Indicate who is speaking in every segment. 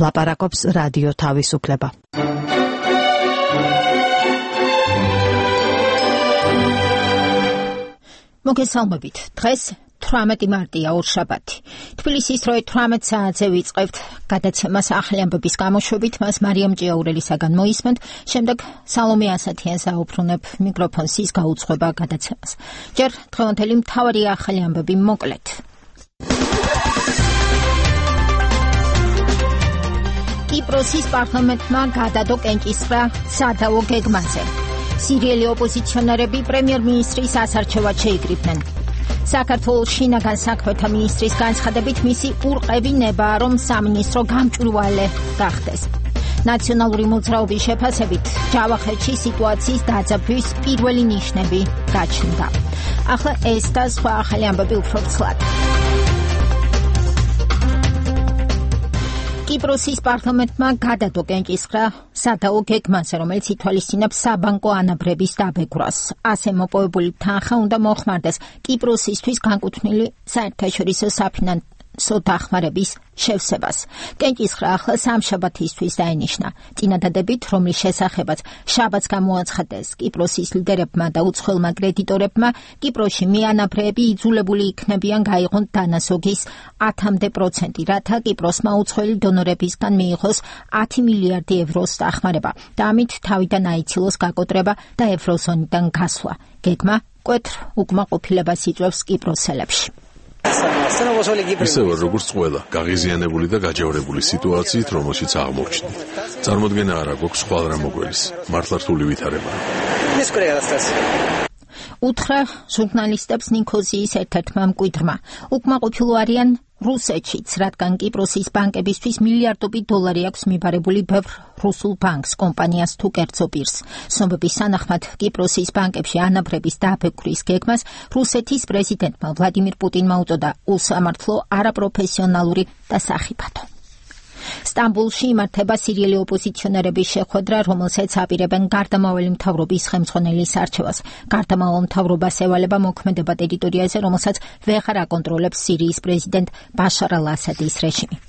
Speaker 1: ლაპარაკობს რადიო თავისუფლება.
Speaker 2: მოგესალმებით. დღეს 18 მარტია ორშაბათი. თბილისის დროით 18 საათზე ვიწყებთ გადაცემას ახალი ამბების გამოშვებით, მას მარიამ ჭიაურელისაგან მოისმენთ, შემდეგ სალომე ასათიანს აუბრუნებ მიკროფონს ის გაუძღვება გადაცემას. ჯერ დღევანდელი მთავარი ახალი ამბები მოკლედ. კიპროსის პარლამენტმა გადადო კენჭისყრა სადავო გეგმაზე. სირიელი ოპოზიციონერები პრემიერ-მინისტრის ასარჩევად შეიკრიბნენ. საქართველოს შინაგან საქმეთა მინისტრის განცხადებით მისი ურყევი ნება, რომ სამინისტრო გამჭვირვალე გახდეს. ნაციონალური მოძრაობის შეფასებით ჯავახეთში სიტუაციის დაძაბვის პირველი ნიშნები გაჩნდა. ახლა ეს და სხვა ახალი ამბები უფრო ცლად. კიპროსის პარლამენტმა გადადო კენჭისყრა სადაო გეგმაზე, რომელიც ითვალისწინებს საბანკო ანაბრების დაბეგვრას. ასე მოპოვებული თანხა უნდა მოხმარდეს კიპროსისთვის განკუთვნილი საერთაშორისო საფინანსო დახმარების შევსებას. კენჭისყრა ახლა სამშაბათისთვის დაენიშნა. წინადადებით, რომლის შესახებაც შაბათს გამოაცხადეს კიპროსის ლიდერებმა და უცხოელმა კრედიტორებმა, კიპროსში მეანაბრეები იძულებული იქნებიან გაიღონ დანაზოგის 10%, რათა კიპროსმა უცხოელი დონორებისგან მიიღოს 10 მილიარდი ევროს დახმარება და ამით თავიდან აიცილოს გაკოტრება და ევროზონიდან გასვლა. გეგმა მკვეთრ უკმაყოფილებას იწვევს კიპროსელებში.
Speaker 3: ისევე როგორც ყველა გაღიზიანებული და გაჯავრებული სიტუაციით, რომელშიც აღმოჩნდით. წარმოდგენა არა გვაქვს ხვალ რა მოგველის. მართლა რთული ვითარება.
Speaker 2: უთხრა ჟურნალისტებს ნიქოზიის ერთ-ერთმა მკვიდრმა. უკმაყოფილო არიან რუსეთშიც, რადგან კიპროსის ბანკებისთვის მილიარდობით დოლარი აქვს მიბარებული ბევრ რუსულ ბანკს, კომპანიას თუ კერძო პირს. ცნობების სანახმად კიპროსის ბანკებში ანაბრების დაბეგვრის გეგმას რუსეთის პრეზიდენტმა ვლადიმირ პუტინმა უწოდა უსამართლო, არაპროფესიონალური და სახიფათო. სტამბოლში იმართება სირიელი ოპოზიციონერების შეხვედრა, რომელსაც აპირებენ გარდამავალი მთავრობის ხელმძღვანელის არჩევას. გარდამავალ მთავრობას ევალება მოქმედება ტერიტორიაზე, რომელსაც ვეღარ აკონტროლებს სირიის პრეზიდენტ ბაშარ ალ-ასადის რეჟიმი.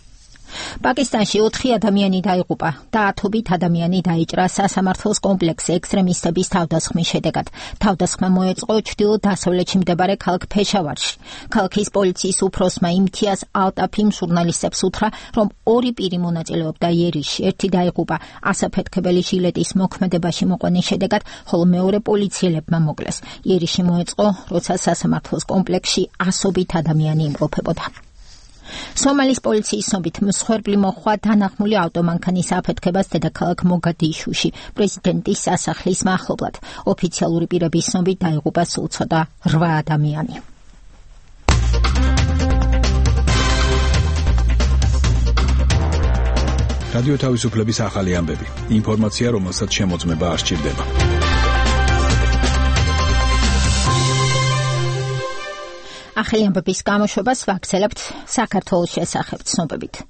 Speaker 2: პაკისტანში 4 ადამიანი დაიღუპა და 10 ადამიანი დაიჭრა სასამართლოს კომპლექსზე ექსტრემისტების თავდასხმის შედეგად. თავდასხმა მოეწყო ჩრდილო-დასავლეთში მდებარე ქალაქ ფეშავარში. ქალაქის პოლიციის უფროსმა იმთიაზ ალტაფიმ ჟურნალისტებს უთხრა, რომ 2 პირი მონაწილეობდა იერიში. ერთი დაიღუპა ასაფეთქებელი ჟილეტის მოქმედებაში მოყვანის შედეგად, ხოლო მეორე პოლიციელებმა მოკლეს. იერიში მოეწყო, როცა სასამართლოს კომპლექსში ასობით ადამიანი იმყოფებოდა. სომალის პოლიციის ცნობით მსხვერპლი მოჰყვა დანახმული ავტომანქანის აფეთქებას დედაქალაქ მოგადიშუში პრეზიდენტის სასახლის მახლობლად. ოფიციალური პირების ცნობით დაიღუპა სულ ცოტა 8 ადამიანი.
Speaker 4: რადიო თავისუფლების ახალი ამბები. ინფორმაცია, რომელსაც შემოწმება არ სჭირდება.
Speaker 2: ახალი ამბების გამოშვებას ვაგრძელებთ საქართველოს შესახებ ცნობებით.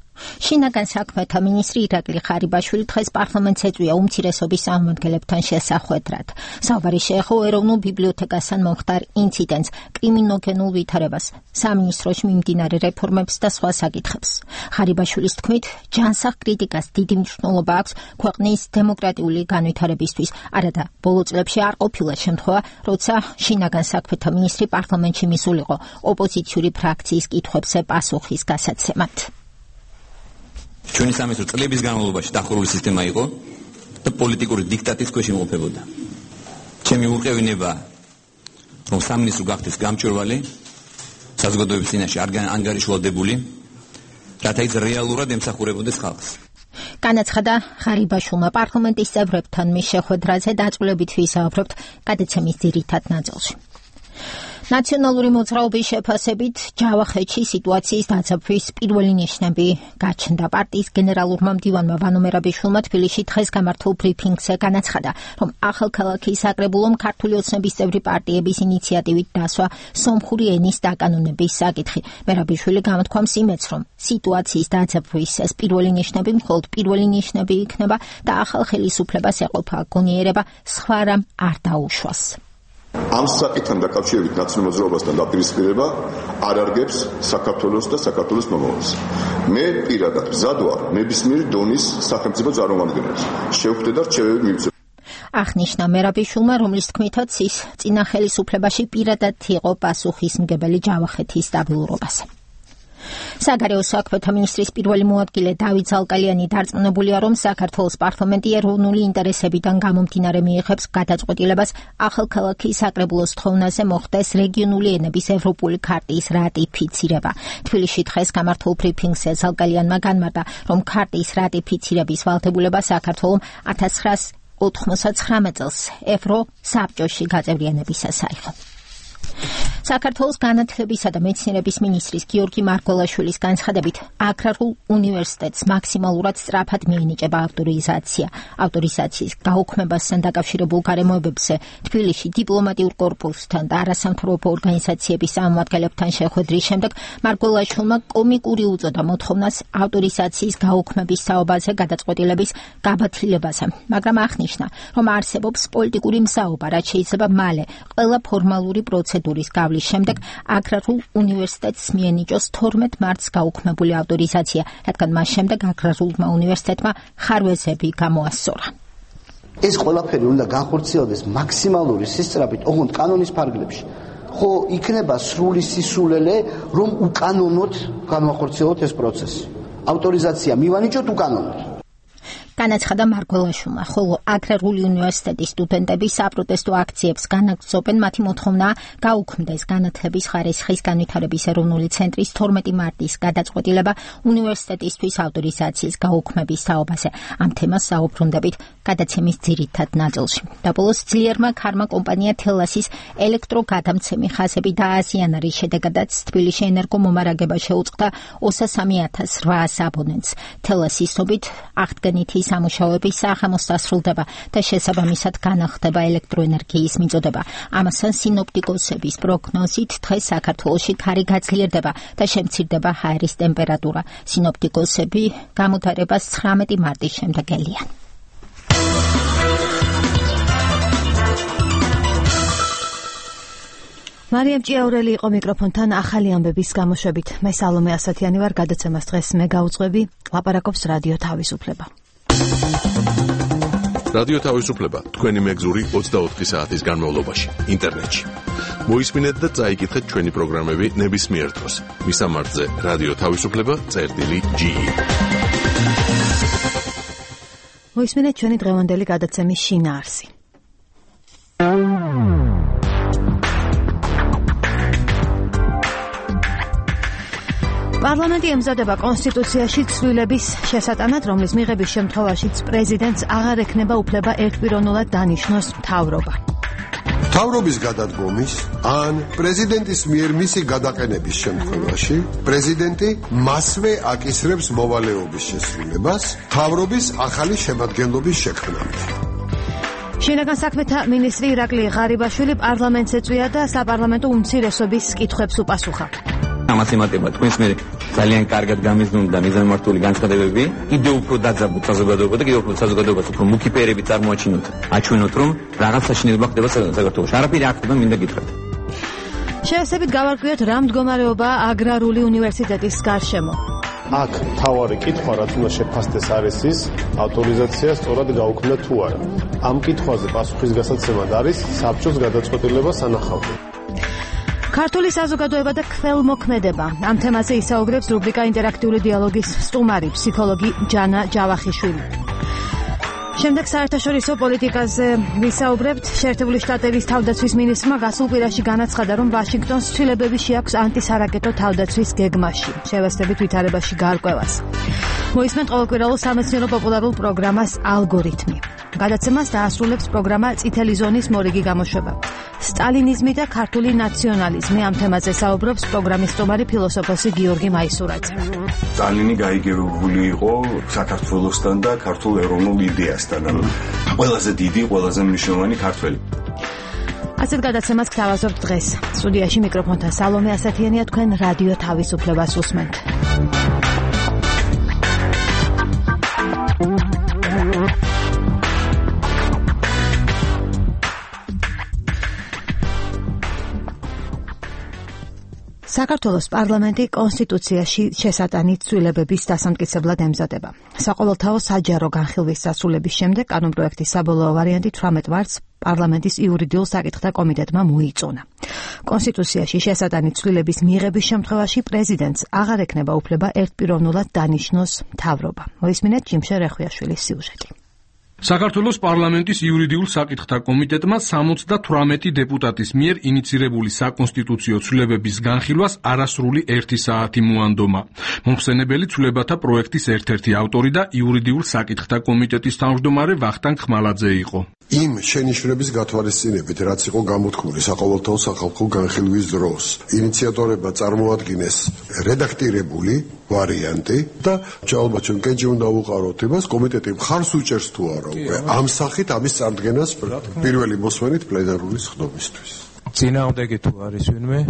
Speaker 2: შინაგან საქმეთა მინისტრი ირაკლი ხარიბაშვილი დღეს პარლამენტს ეწვია უმცირესობის წარმომადგენლებთან შესახვედრად. საუბარი შეეხო ეროვნულ ბიბლიოთეკასთან მომხდარ ინციდენტს, კრიმინოგენულ ვითარებას, სამინისტროში მიმდინარე რეფორმებს და სხვა საკითხებს. ხარიბაშვილის თქმით, ჯანსაღ კრიტიკას დიდი მნიშვნელობა აქვს ქვეყნის დემოკრატიული განვითარებისთვის. არადა ბოლო წლებში არ ყოფილა შემთხვევა, როცა შინაგან საქმეთა მინისტრი პარლამენტში მისულიყო ოპოზიციური ფრაქციის კითხვებზე პასუხის გასაცემად.
Speaker 5: ჩვენი სამეცნიერო წლების განმავლობაში დახურული სისტემა იყო და პოლიტიკური დიქტატის ქვეშ იმყოფებოდა. ჩემი ურყევინება, რომ სამინისტრო გახდეს გამჭვირვალე, საზოგადოების წინაშე არ ანგარიშვალდებული, რათა ის რეალურად ემსახურებოდეს ხალხს.
Speaker 2: განაცხადა ხარიბაშვილმა პარლამენტის წევრებთან მის შეხვედრაზე დაწვრილებით ვისაუბრებთ გადაცემის ძირითად ნაწილში. ნაციონალური მოძრაობის შეფასებით ჯავახეთში სიტუაციის დაძაბვის პირველი ნიშნები გაჩნდა. პარტიის გენერალურმა მდივანმა ვანო მერაბიშვილმა თბილისში დღეს გამართულ ბრიფინგზე განაცხადა, რომ ახალქალაქის საკრებულომ ქართული ოცნების წევრი პარტიების ინიციატივით დასვა სომხური ენის დაკანონების საკითხი. მერაბიშვილი გამოთქვამს იმედს, რომ სიტუაციის დაძაბვის ეს პირველი ნიშნები მხოლოდ პირველი ნიშნები იქნება და ახალ ხელისუფლებას ეყოფა გონიერება სხვა რამ არ დაუშვას.
Speaker 6: ამ საკითხთან დაკავშირებით ნაცნობ მოძრაობასთან დაპირისპირება არ არგებს საქართველოს და საქართველოს მომავალს. მე პირადად მზად ვარ ნებისმიერი დონის სახელმწიფო წარმომადგენლებს შევხვდე და რჩევები მივცემ.
Speaker 2: აღნიშნა მერაბიშვილმა, რომლის თქმითაც ის წინა ხელისუფლებაში პირადად იყო პასუხისმგებელი ჯავახეთის სტაბილურობაზე. საგარეო საქმეთა მინისტრის პირველი მოადგილე დავით ზალკალიანი დარწმუნებულია, რომ საქართველოს პარლამენტი ეროვნული ინტერესებიდან გამომდინარე მიიღებს გადაწყვეტილებას ახალქალაქის საკრებულოს თხოვნაზე მოხდეს რეგიონული ენების ევროპული ქარტიის რატიფიცირება. თბილისში დღეს გამართულ ბრიფინგზე ზალკალიანმა განმარტა, რომ ქარტიის რატიფიცირების ვალდებულება საქართველოს 1999 წელს ევროსაბჭოში გაწევრიანებისას აიღო. საქართველოს განათლებისა და მეცნიერების მინისტრის გიორგი მარგველაშვილის განცხადებით, აგრარულ უნივერსიტეტს მაქსიმალურად სწრაფად მიენიჭება ავტორიზაცია. ავტორიზაციის გაუქმებასთან დაკავშირებულ გარემოებებზე თბილისში დიპლომატიურ კორპუსთან და არასამთავრობო ორგანიზაციების წარმომადგენლებთან შეხვედრის შემდეგ მარგველაშვილმა კომიკური უწოდა მოთხოვნას ავტორიზაციის გაუქმების საუბაზე გადაწყვეტილების გაბათილებაზე, მაგრამ აღნიშნა, რომ არსებობს პოლიტიკური მზაობა, რაც შეიძლება მალე ყველა ფორმალური პროცედურის გავლის შემდეგ აგრარულ უნივერსიტეტს მიენიჭოს 12 მარტს გაუქმებული ავტორიზაცია, რადგან მას შემდეგ აგრარულმა უნივერსიტეტმა ხარვეზები გამოასწორა.
Speaker 7: ეს ყველაფერი უნდა განხორციელდეს მაქსიმალური სისწრაფით, ოღონდ კანონის ფარგლებში. ხო იქნება სრული სისულელე, რომ უკანონოდ განვახორციელოთ ეს პროცესი. ავტორიზაცია მივანიჭოთ უკანონოდ. განაცხადა მარგველაშვილმა, ხოლო აგრარული უნივერსიტეტის სტუდენტები საპროტესტო აქციებს განაგრძობენ. მათი მოთხოვნაა გაუქმდეს განათლების ხარისხის განვითარების ეროვნული ცენტრის 12 მარტის გადაწყვეტილება უნივერსიტეტისთვის ავტორიზაციის გაუქმების თაობაზე. ამ თემას საუბრუნდებით გადაცემის ძირითად ნაწილში. დაბოლოს ძლიერმა ქარმა კომპანია თელასის ელექტროგადამცემი ხაზები დააზიანა, რის შედეგადაც თბილისში ენერგომომარაგება შეუწყდა 23,800 აბონენტს. თელასის ცნობით აღდგენითი სამუშაოები საღამოს დასრულდება და შესაბამისად განახლდება ელექტროენერგიის მიწოდება. ამასთან სინოპტიკოსების პროგნოზით დღეს საქართველოში ქარი გაძლიერდება და შემცირდება ჰაერის ტემპერატურა. სინოპტიკოსები გამოდარებას 19 მარტის შემდეგ ელიან.
Speaker 1: მარიამ ჭიაურელი იყო მიკროფონთან ახალი ამბების გამოშვებით. მე სალომე ასათიანი ვარ, გადაცემას დღეს მე გავუძღვები, ლაპარაკობს რადიო თავისუფლება.
Speaker 3: რადიო თავისუფლება თქვენი მეგზური 24 საათის განმავლობაში ინტერნეტში. მოისმინეთ და წაიკითხეთ ჩვენი პროგრამები ნებისმიერ დროს. მისამართზე რადიო თავისუფლება.ge.
Speaker 1: მოისმინეთ ჩვენი დღევანდელი გადაცემის შინაარსი. პარლამენტი ემზადება კონსტიტუციაში ცვლილების შესატანად, რომლის მიღების შემთხვევაშიც პრეზიდენტს აღარ ექნება უფლება ერთპიროვნულად დანიშნოს მთავრობა.
Speaker 8: მთავრობის გადადგომის ან პრეზიდენტის მიერ მისი გადაყენების შემთხვევაში პრეზიდენტი მასვე აკისრებს მოვალეობის შესრულებას მთავრობის ახალი შემადგენლობის შექმნამდე.
Speaker 1: შინაგან საქმეთა მინისტრი ირაკლი ღარიბაშვილი პარლამენტს ეწვია და საპარლამენტო უმცირესობის კითხვებს უპასუხა.
Speaker 5: ამას ემატება თქვენს მე ძალიან კარგად გამიზნული და მიზანმართული განცხადებები, კიდევ უფრო დაძაბულ საზოგადოებასა და კიდევ უფრო საზოგადოებას უფრო მუქი ფერები წარმოაჩინოთ, აჩვენოთ, რომ რაღაცა შინელება ხდება საქართველოში. არაფერი არ ხდება, მინდა გითხრათ.
Speaker 1: შეესაბით გავარკვიოთ, რა მდგომარეობაა აგრარული უნივერსიტეტის გარშემო.
Speaker 9: აქ თავარი კითხვა, რაც უნდა შეფასდეს არის ის, ავტორიზაცია სწორად გაუქმდა თუ არა. ამ კითხვაზე პასუხის გასაცემად არის საბჭოს გადაწყვეტილება სანახავად.
Speaker 1: ქართული საზოგადოება და ქველმოქმედება. ამ თემაზე ისაუბრებს რუბრიკა ინტერაქტიული დიალოგის სტუმარი, ფსიქოლოგი ჯანა ჯავახიშვილი. შემდეგ საერთაშორისო პოლიტიკაზე ვისაუბრებთ. შეერთებული შტატების თავდაცვის მინისტრმა გასულ კვირაში განაცხადა, რომ ვაშინგტონს ცვლილებები შეაქვს ანტისარაკეტო თავდაცვის გეგმაში. შევესწრებით ვითარებაში გარკვევას. მოისმენთ ყოველკვირეულ სამეცნიერო პოპულარულ პროგრამას ალგორითმი. გადაცემას დაასრულებს პროგრამა წითელი ზონის მორიგი გამოშვება. სტალინიზმი და ქართული ნაციონალიზმი. ამ თემაზე საუბრობს პროგრამის სტუმარი ფილოსოფოსი გიორგი მაისურაძე.
Speaker 10: სტალინი გაიგებებული იყო საქართველოსთან და ქართულ ეროვნულ იდეასთან. ყველაზე დიდი, ყველაზე მნიშვნელოვანი ქართველი.
Speaker 1: ასეთ გადაცემას გთავაზობთ დღეს. სტუდიაში მიკროფონთან სალომე ასათიანია, თქვენ რადიო თავისუფლებას უსმენთ. საქართველოს პარლამენტი კონსტიტუციაში შესატანით ცვლილებების დასამტკიცებლად ემზადება. საყოველთაო საჯარო განხილვის დასრულების შემდეგ კანონპროექტის საბოლოო ვარიანტი 18 მარტს პარლამენტის იურიდიულ საკითხთა კომიტეტმა მოიწონა. კონსტიტუციაში შესატანით ცვლილების მიღების შემთხვევაში პრეზიდენტს აღარ ექნება უფლება ერთპიროვნულად დანიშნოს მთავრობა. მოისმინეთ ჯიმშე რეხვიაშვილის სიუჟეტი.
Speaker 11: საქართველოს პარლამენტის იურიდიულ საკითხთა კომიტეტმა 78 დეპუტატის მიერ ინიცირებული საკონსტიტუციო ცვლილებების განხილვას არასრული 1 საათი მოანდომა. მომხსენებელი ცვლილებათა პროექტის ერთ-ერთი ავტორი და იურიდიულ საკითხთა კომიტეტის თავმჯდომარე ვახტანგ ხმალაძე იყო.
Speaker 8: იმ შენიშვნების გათვალისწინებით, რაც იყო გამოთქმული საყოველთაო სახალხო განხილვის დროს, ინიციატორებმა წარმოადგინეს რედაქტირებული ვარიანტი და ალბათ ჩვენ კენჭი უნდა ვუყაროთ იმას, კომიტეტი მხარს უჭერს თუ არა უკვე ამ სახით ამის წარდგენას პირველი მოსმენით პლენარული სხდომისთვის.
Speaker 12: წინააღმდეგი თუ არის ვინმე,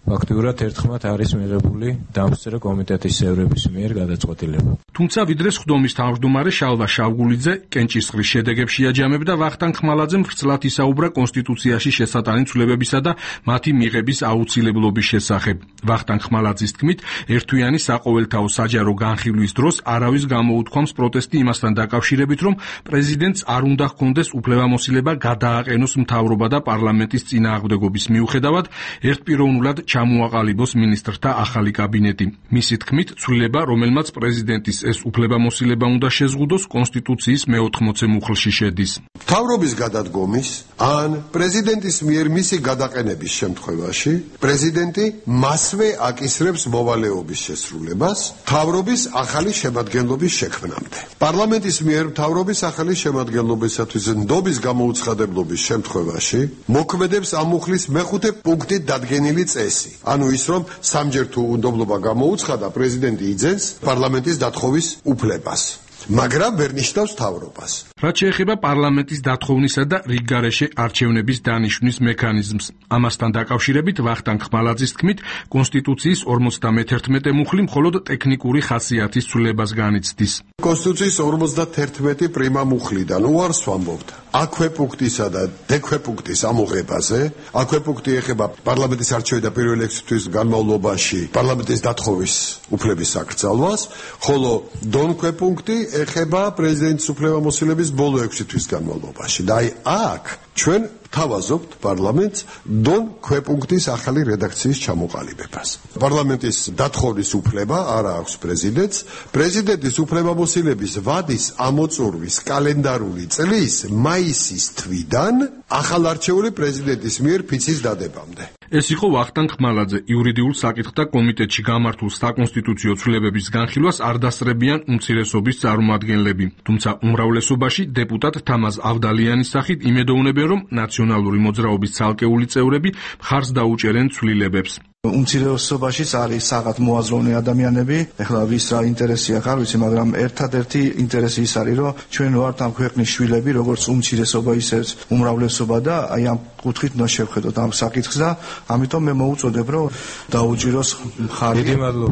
Speaker 12: ფაქტიურად ერთხმად არის მიღებული დამსწრე კომიტეტის წევრების მიერ გადაწყვეტილება.
Speaker 11: თუმცა ვიდრე სხდომის თავმჯდომარე შალვა შავგულიძე კენჭისყრის შედეგებში აჯამებდა ვახტანგ ხმალაძემ ხრცლად ისაუბრა კონსტიტუციაში შესატანით ცვლილებებისა და მათი მიღების აუცილებლობის შესახებ. ვახტანგ ხმალაძის თქმით, ერთვიანი საყოველთაო საჯარო განხილვის დროს არავის გამოუთქვამს პროტესტი იმასთან დაკავშირებით, რომ პრეზიდენტს არ უნდა ჰქონდეს უფლებამოსილება გადააყენოს მთავრობა და პარლამენტის წინააღმდეგობის მიუხედავად ერთპიროვნულად ჩამოაყალიბოს მინისტრთა ახალი კაბინეტი. მისი თქმით, ცვლილება, რომელმაც პრეზიდენტის ეს უფლებამოსილება უნდა შეზღუდოს, კონსტიტუციის მე-80 მუხლში შედის.
Speaker 8: მთავრობის გადადგომის ან პრეზიდენტის მიერ მისი გადაყენების შემთხვევაში პრეზიდენტი მასვე აკისრებს მოვალეობის შესრულებას მთავრობის ახალი შემადგენლობის შექმნამდე. პარლამენტის მიერ მთავრობის ახალი შემადგენლობისათვის ნდობის გამოუცხადებლობის შემთხვევაში მოქმედებს ამ მუხლის მე-5 პუნქტით დადგენილი წესი. ანუ ის, რომ სამჯერ თუ უნდობლობა გამოუცხადა, პრეზიდენტი იძენს პარლამენტის დათხოვის უფლებას. მაგრამ ვერ ნიშნავს მთავრობას.
Speaker 11: რაც შეეხება პარლამენტის დათხოვნისა და რიგგარეშე არჩევნების დანიშვნის მექანიზმს. ამასთან დაკავშირებით ვახტანგ ხმალაძის თქმით, კონსტიტუციის 51 მუხლი მხოლოდ ტექნიკური ხასიათის ცვლილებას განიცდის.
Speaker 8: კონსტიტუციის 51 პრიმა მუხლიდან უარს ვამბობთ. აქვე პუნქტისა და დექვე პუნქტის ამოღებაზე, აქვე პუნქტი ეხება პარლამენტის არჩევი და პირველი 6 თვის განმავლობაში პარლამენტის დათხოვის უფლების აკრძალვას, ხოლო დონქვე პუნქტი ეხება პრეზიდენტის უფლებამოსილების ბოლო 6 თვის განმავლობაში. და აი აქ ჩვენ თავაზობთ პარლამენტს დონ ქვეპუნქტის ახალი რედაქციის ჩამოყალიბებას. პარლამენტის დათხოვნის უფლება არ აქვს პრეზიდენტს. პრეზიდენტის უფლებამოსილების ვადის ამოწურვის კალენდარული წლის მაისის თვიდან ახალარჩეული პრეზიდენტის მიერ ფიცის დადებამდე.
Speaker 11: ეს იყო ვახტანგ ხმალაძე. იურიდიულ საკითხთა კომიტეტში გამართულ საკონსტიტუციო ცვლილებების განხილვას არ დასწრებიან უმცირესობის წარმომადგენლები. თუმცა უმრავლესობაში დეპუტატ თამაზ ავდალიანის სახით იმედოვნებენ, რომ ნაციონალური მოძრაობის ცალკეული წევრები მხარს დაუჭერენ ცვლილებებს.
Speaker 13: უმცირესობაშიც არის რაღაც მოაზროვნე ადამიანები, ეხლა ვის რა ინტერესი აქვს არ ვიცი, მაგრამ ერთადერთი ინტერესი ის არის, რომ ჩვენ ვართ ამ ქვეყნის შვილები, როგორც უმცირესობა ისე უმრავლესობა და აი ამ კუთხით უნდა შევხედოთ ამ საკითხს და ამიტომ მე მოუწოდებ, რომ დაუჭიროს მხარი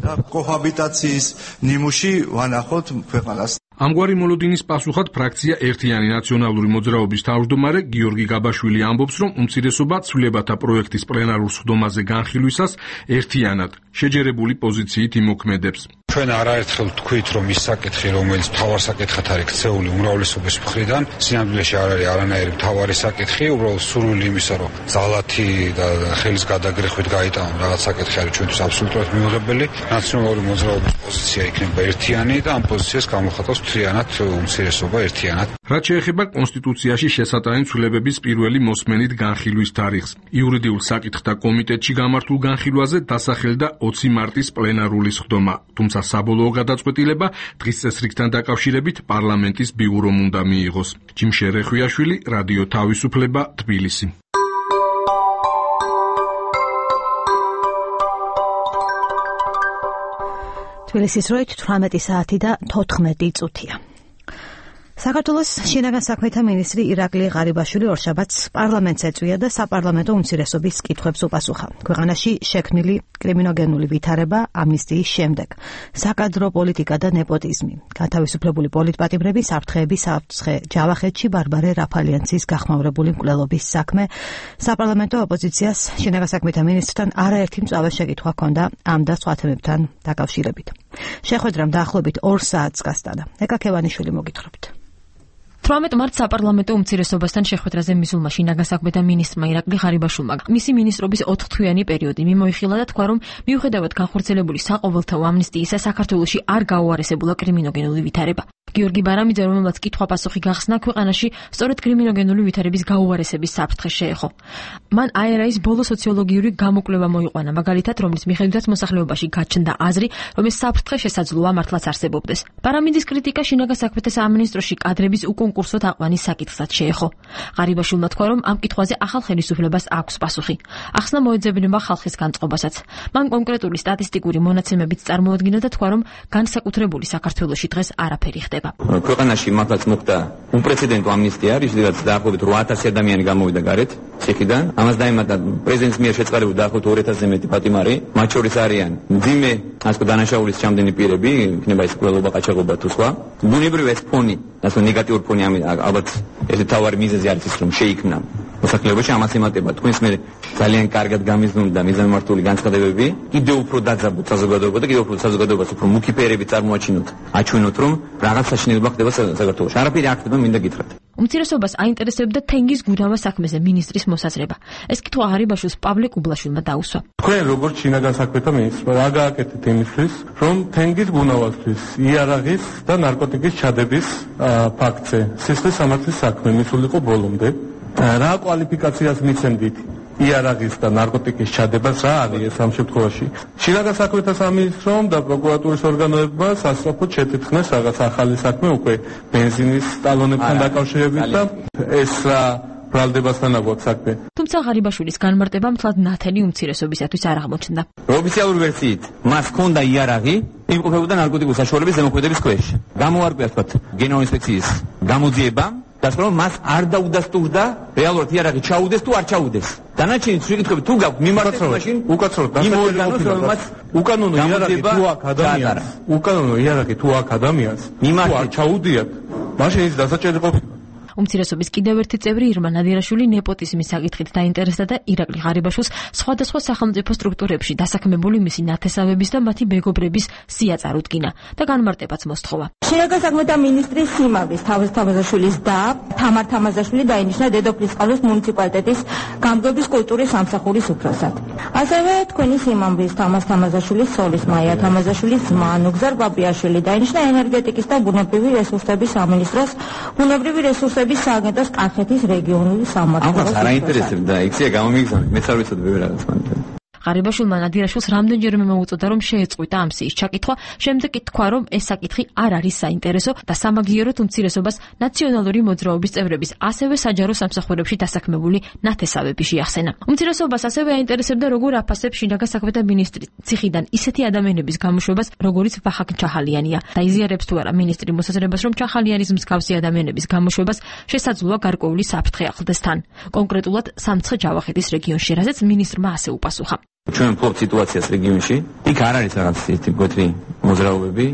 Speaker 13: და კოჰაბიტაციის ნიმუში ვანახოთ ქვეყანას.
Speaker 11: ამგვარი მოლოდინის პასუხად ფრაქცია ერთიანი ნაციონალური მოძრაობის თავმჯდომარე გიორგი გაბაშვილი ამბობს, რომ უმცირესობა ცვლილებათა პროექტის პლენარულ სხდომაზე განხილვისას ერთიანად შეჯერებული პოზიციით იმოქმედებს.
Speaker 14: ჩვენ არაერთხელ ვთქვით, რომ ის საკითხი, რომელიც მთავარ საკითხად არის ქცეული უმრავლესობის მხრიდან, სინამდვილეში არ არის არანაირი მთავარი საკითხი, უბრალოდ სურვილი იმისა, რომ ძალათი და ხელის გადაგრეხვით გაიტანონ რაღაც საკითხი არის ჩვენთვის აბსოლუტურად მიუღებელი. ნაციონალური მოძრაობის პოზიცია იქნება ერთიანი და ამ პოზიციას გამოხატავს მთლიანად უმცირესობა ერთიანად.
Speaker 11: რაც შეეხება კონსტიტუციაში შესატანით ცვლილებების პირველი მოსმენით განხილვის თარიღს. იურიდიულ საკითხთა კომიტეტში გამართულ განხილვაზე დასახელდა 20 მარტის პლენარული სხდომა. თუმცა საბოლოო გადაწყვეტილება დღის წესრიგთან დაკავშირებით პარლამენტის ბიურომ უნდა მიიღოს. ჯიმშე რეხვიაშვილი, რადიო თავისუფლება, თბილისი.
Speaker 1: თბილისის დროით 18 საათი და 14 წუთია. საქართველოს შინაგან საქმეთა მინისტრი ირაკლი ღარიბაშვილი ორშაბათს პარლამენტს ეწვია და საპარლამენტო უმცირესობის კითხვებს უპასუხა. ქვეყანაში შექმნილი კრიმინოგენული ვითარება ამნისტიის შემდეგ, საკადრო პოლიტიკა და ნეპოტიზმი, გათავისუფლებული პოლიტპატიმრები, საფრთხეები საფრთხე ჯავახეთში ბარბარე რაფალიანცის გახმაურებული მკვლელობის საქმე, საპარლამენტო ოპოზიციას შინაგან საქმეთა მინისტრთან არაერთი მწვავე შეკითხვა ჰქონდა ამ და სხვა თემებთან დაკავშირებით. შეხვედრამ დაახლოებით 2 საათს გასტანა. ეკა ქევანიშვილი მოგითხრობთ.
Speaker 15: 18 მარტს საპარლამენტო უმცირესობასთან შეხვედრაზე მისულმა შინაგან საქმეთა მინისტრმა ირაკლი ღარიბაშვილმა მისი ministrობის 4-თვიანი პერიოდი მიმოიხილა და თქვა, რომ მიუხედავად განხორციელებული საყოველთაო ამნისტიისა, საქართველოში არ გაუარესებულა კრიმინოგენული ვითარება. გიორგი ბარამიძე, რომელმაც კითხვა-პასუხი გახსნა, ქვეყანაში სწორედ კრიმინოგენული ვითარების გაუარესების საფრთხე შეეხო. მან ARA-ის ბოლო სოციოლოგიური გამოკვლევა მოიყვანა, მაგალითად, რომლის მიხედვითაც მოსახლეობაში გაჩნდა აზრი, რომ ეს საფრთხე შესაძლოა მართლაც არსებობდეს. ბარამიძის კრიტიკა შინაგან საქმეთა სამინისტროში კადრების უკონკურსო თაყვანის საკითხსაც შეეხო. ღარიბაშვილმა თქვა, რომ ამ კითხვაზე ახალ ხელისუფლებას აქვს პასუხი. ახსნა მოეძებნება ხალხის განწყობასაც. მან კონკრეტული სტატისტიკური მონაცემებიც წარმოადგინა და თქვა, რომ განსაკუთრებული საქართველოში დღეს არაფერი ხდება.
Speaker 5: ქვეყანაში მართლაც მოხდა უპრეცედენტო ამნისტია, რისთვისაც დაახლოებით 8000 ადამიანი გამოვიდა გარეთ ციხიდან. ამას დაემატა პრეზიდენტის მიერ შეწყებული დაახლოებით 2000-ზე მეტი პატიმარი, მათ შორის არიან მძიმე ასე დანაშაულის ჩამდენი პირები, იქნება ეს კვლელობა, ყაჩაღობა თუ სხვა. ბუნებრივ ეს ფონი, ასე ნეგატიური ფონი, ალბათ ეს თავარი მიზეზი არის ის, რომ შეიქმნა მოსახლეობაში ამას ემატება. თქვენს მე ძალიან კარგად გამიზნული და მიზანმიმართული განცხადებები, კიდევ უფრო დაძაბოთ საზოგადოება და კიდევ უფრო საზოგადოებას უფრო მუქი ფერები წარმოაჩინოთ, აჩვენოთ, რომ რაღაც საშინელება ხდება საქართველოში. არაფერი არ ხდება, მინდა გითხრათ.
Speaker 15: უმცირესობას აინტერესებდა თენგის გუდავა საქმეზე მინისტრის მოსაზრება. ეს კითხვა ღარიბაშვილს პავლე კუბლაშვილმა დაუსვა.
Speaker 16: თქვენ როგორც შინაგან საქმეთა მინისტრმა რა გააკეთეთ იმისთვის, რომ თენგის გუნავასთვის, იარაღის და ნარკოტიკის ჩადების ფაქტზე სისხლის სამართლის საქმე მისულიყო ბოლომდე. რა კვალიფიკაციას მიცემდით იარაღის და ნარკოტიკის ჩადებას, რა არის ეს ამ შემთხვევაში? შინაგან საქმეთა სამინისტრომ და პროკურატურის ორგანოებმა სასწრაფოდ შეთითხნეს რაღაც ახალი საქმე უკვე ბენზინის ტალონებთან დაკავშირებით და ეს რა ბრალდებასთან აგვაქვს საქმე.
Speaker 15: თუმცა ღარიბაშვილის განმარტება მთლად ნათელი უმცირესობისათვის არ აღმოჩნდა.
Speaker 5: ოფიციალური ვერსიით მას ჰქონდა იარაღი, იმყოფებოდა ნარკოტიკული საშუალების ზემოქმედების ქვეშ. გამოარკვია თქვათ გენო ინსპექციის გამოძიება და რომ მას არ დაუდასტურდა რეალურად იარაღი ჩაუდეს თუ არ ჩაუდეს. დანარჩენი შეკითხვები თუ გაქვთ მიმართეთ მაშინ
Speaker 16: უკაცრავად უკანონო იარაღი თუ აქ ადამიანს, უკანონო იარაღი თუ აქ ადამიანს თუ არ ჩაუდიათ, მაშინ ის დასაჭერი ყოფილა.
Speaker 15: უმცირესობის კიდევ ერთი წევრი ირმა ნადირაშვილი ნეპოტიზმის საკითხით დაინტერესდა და ირაკლი ღარიბაშვილს სხვადასხვა სახელმწიფო სტრუქტურებში დასაქმებული მისი ნათესავების და მათი მეგობრების სია წარუდგინა და განმარტებაც მოსთხოვა.
Speaker 17: შინაგან საქმეთა მინისტრის სიმამრის თამაზაშვილის და თამარ თამაზაშვილი დაინიშნა დედოფლისწყლის მუნიციპალიტეტის გამგეობის კულტურის სამსახურის უფროსად. ასევე თქვენი სიმამრის თამარ თამაზაშვილის სოლის მაია თამაზაშვილის ძმა ნუგზარ ბაბრიაშვილი დაინიშნა ენერგეტიკის და ბუნებრივი რესურსების სამინისტროს ბუნებრივი რესურსების სააგენტოს კახეთის რეგიონული სამმართველოს.
Speaker 5: ამას არ აინტერესებდა, იქცია გამომიგზავნეთ, მეც არ ვიცოდი ბევრი რაღაც მანდ.
Speaker 15: ღარიბაშვილმა ნადირაშვილს რამდენჯერმე მოუწოდა, რომ შეეწყვიტა ამ სიის ჩაკითხვა, შემდეგ კი თქვა, რომ ეს საკითხი არ არის საინტერესო და სამაგიეროდ უმცირესობას ნაციონალური მოძრაობის წევრების, ასევე საჯარო სამსახურებში დასაქმებული ნათესავები შეახსენა. უმცირესობას ასევე აინტერესებდა, როგორ აფასებს შინაგან საქმეთა მინისტრი ციხიდან ისეთი ადამიანების გამოშვებას, როგორიც ვახაკ ჩახალიანია და იზიარებს თუ არა მინისტრი მოსაზრებას, რომ ჩახალიანის მსგავსი ადამიანების გამოშვებას შესაძლოა გარკვეული საფრთხე ახლდეს თან. კონკრეტულად სამცხე ჯავახეთის რეგიონში, რაზეც მინისტრმა ასე უპასუხა.
Speaker 5: ჩვენ ვფლობთ სიტუაციას რეგიონში, იქ არ არის რაღაც ისეთი მკვეთრი მოძრაობები,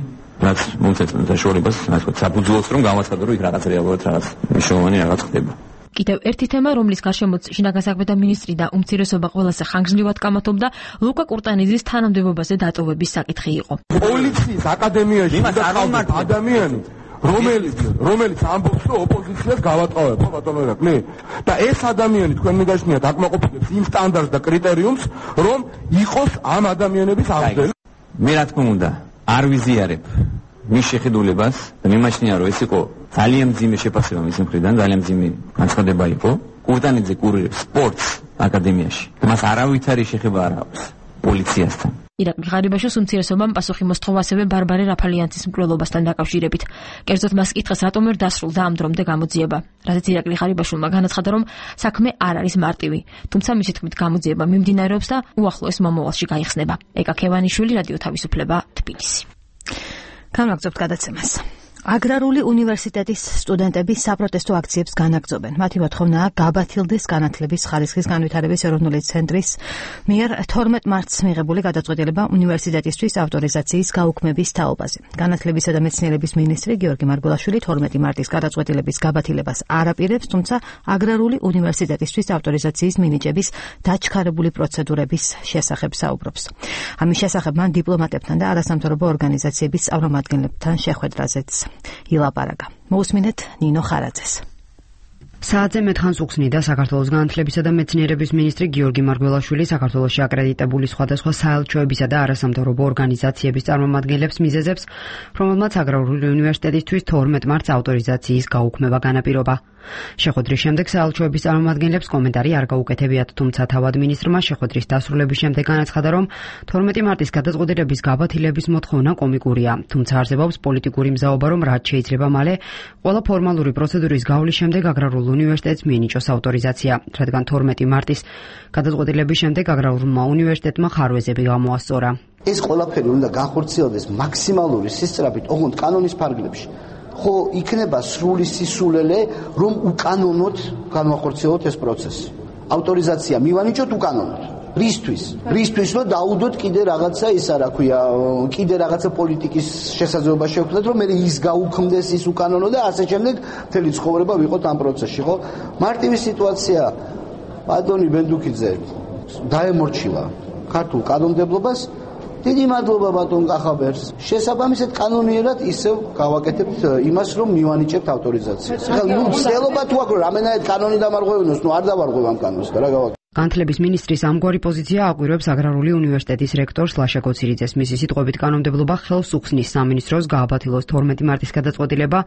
Speaker 5: რაც მომწესებს საშუალებას, ასე ვთქვათ, საფუძვლოს რომ გავაცხადო, რომ იქ რაღაც რეალურად რაღაც მნიშვნელოვანი რაღაც ხდება.
Speaker 15: კიდევ ერთი თემა, რომლის გარშემოც შინაგან საქმეთა მინისტრი და უმცირესობა ყველაზე ხანგრძლივად გამათობდა, ლუკა კურტანიძის თანამდებობაზე დატოვების საკითხი იყო.
Speaker 16: პოლიციის აკადემიაში დაყავთ ადამიანი, რომელიც ამბობს, რომ ოპოზიციას გავატყავებ, ბატონო ირაკლი. და ეს ადამიანი თქვენ მიგაშნიათ აკმაყოფილებს იმ სტანდარტს და კრიტერიუმს, რომ იყოს ამ ადამიანების აღზრდელი.
Speaker 5: მე რა თქმა უნდა, არ ვიზიარებ მის შეხედულებას და მიმაჩნია, რომ ეს იყო ძალიან მძიმე შეფასება მის მხრიდან, ძალიან მძიმე განცხადება იყო. კურტანიძე კურირებს სპორტს აკადემიაში. მას არავითარი შეხება არ აქვს პოლიციასთან.
Speaker 15: ირაკლი ღარიბაშვილს უმცირესობამ პასუხი მოსთხოვა ასევე ბარბარე რაფალიანცის მკვლელობასთან დაკავშირებით. კერძოდ მას კითხეს, რატომ ვერ დასრულდა ამ დრომდე გამოძიება. რადგან ირაკლი ღარიბაშვილმა განაცხადა, რომ საქმე არ არის მარტივი, თუმცა მისი თქმით გამოძიება მიმდინარეობს და უახლოეს მომავალში გაიხსნება. ეკა ქევანიშვილი, რადიო თავისუფლება, თბილისი.
Speaker 1: განვაგრძობთ გადაცემას. აგრარული უნივერსიტეტის სტუდენტები საპროტესტო აქციებს განაგრძობენ. მათი მოთხოვნაა გაბათილდეს განათლების ხარისხის განვითარების ეროვნული ცენტრის მიერ 12 მარტს მიღებული გადაწყვეტილება უნივერსიტეტისთვის ავტორიზაციის გაუქმების თაობაზე. განათლებისა და მეცნიერების მინისტრი გიორგი მარგველაშვილი 12 მარტის გადაწყვეტილების გაბათილებას არ აპირებს, თუმცა აგრარული უნივერსიტეტისთვის ავტორიზაციის მინიჭების დაჩქარებული პროცედურების შესახებ საუბრობს. ამის შესახებ მან დიპლომატებთან და არასამთავრობო ორგანიზაციების წარმომადგენლებთან შეხვედრაზეც ილაპარაკა. მოусმინეთ ნინო ხარაძეს.
Speaker 18: საათზე მეტხანს უხსნიდა საქართველოს განათლებისა და მეცნიერების მინისტრი გიორგი მარგველაშვილი საქართველოში აკრედიტებული სხვადასხვა საელჩოებისა და არასამთავრობო ორგანიზაციების წარმომადგენლებს მიზეზებს, რომელმაც აგრარული უნივერსიტეტისთვის 12 მარტს ავტორიზაციის გაუქმება განაპირობა. შეხვედრის შემდეგ საელჩოების წარმომადგენლებს კომენტარი არ გაუკეთებიათ, თუმცა თავად მინისტრმა შეხვედრის დასრულების შემდეგ განაცხადა, რომ 12 მარტის გადაწყვეტილების გაბათილების მოთხოვნა კომიკურია, თუმცა არსებობს პოლიტიკური მზაობა, რომ რაც შეიძლება მალე ყველა ფორმალური პროცედურის გავლის შემდეგ აგრარულ უნივერსიტეტს მიენიჭოს ავტორიზაცია, რადგან 12 მარტის გადაწყვეტილების შემდეგ აგრარულმა უნივერსიტეტმა ხარვეზები გამოასწორა.
Speaker 7: ეს ყველაფერი უნდა განხორციელდეს მაქსიმალური სისწრაფით, ოღონდ კანონის ფარგლებში. ხო იქნება სრული სისულელე, რომ უკანონოდ განვახორციელოთ ეს პროცესი. ავტორიზაცია მივანიჭოთ უკანონოდ. რისთვის რომ დაუდოთ კიდე რაღაცა ისა რა ქვია, კიდე რაღაცა პოლიტიკის შესაძლებლობა შევქმნათ, რომ მე ის გაუქმდეს ის უკანონო და ასე შემდეგ მთელი ცხოვრება ვიყოთ ამ პროცესში, ხო? მარტივი სიტუაცია ბატონი ბენდუკიძე დაემორჩილა ქართულ კანონმდებლობას. დიდი მადლობა ბატონ კახაბერს. შესაბამისად კანონიერად ისევ გავაკეთებთ იმას, რომ მივანიჭებთ ავტორიზაციას. ახლა ცდილობა თუ აქვს რამენად კანონი დამარღვევინოს, არ დავარღვევ ამ კანონს და რა გავაკეთებ.
Speaker 18: განათლების მინისტრის ამგვარი პოზიცია აკვირვებს აგრარული უნივერსიტეტის რექტორს ლაშა გოცირიძეს. მისი სიტყვებით კანონმდებლობა ხელს უხსნის სამინისტროს გააბათილოს 12 მარტის გადაწყვეტილება.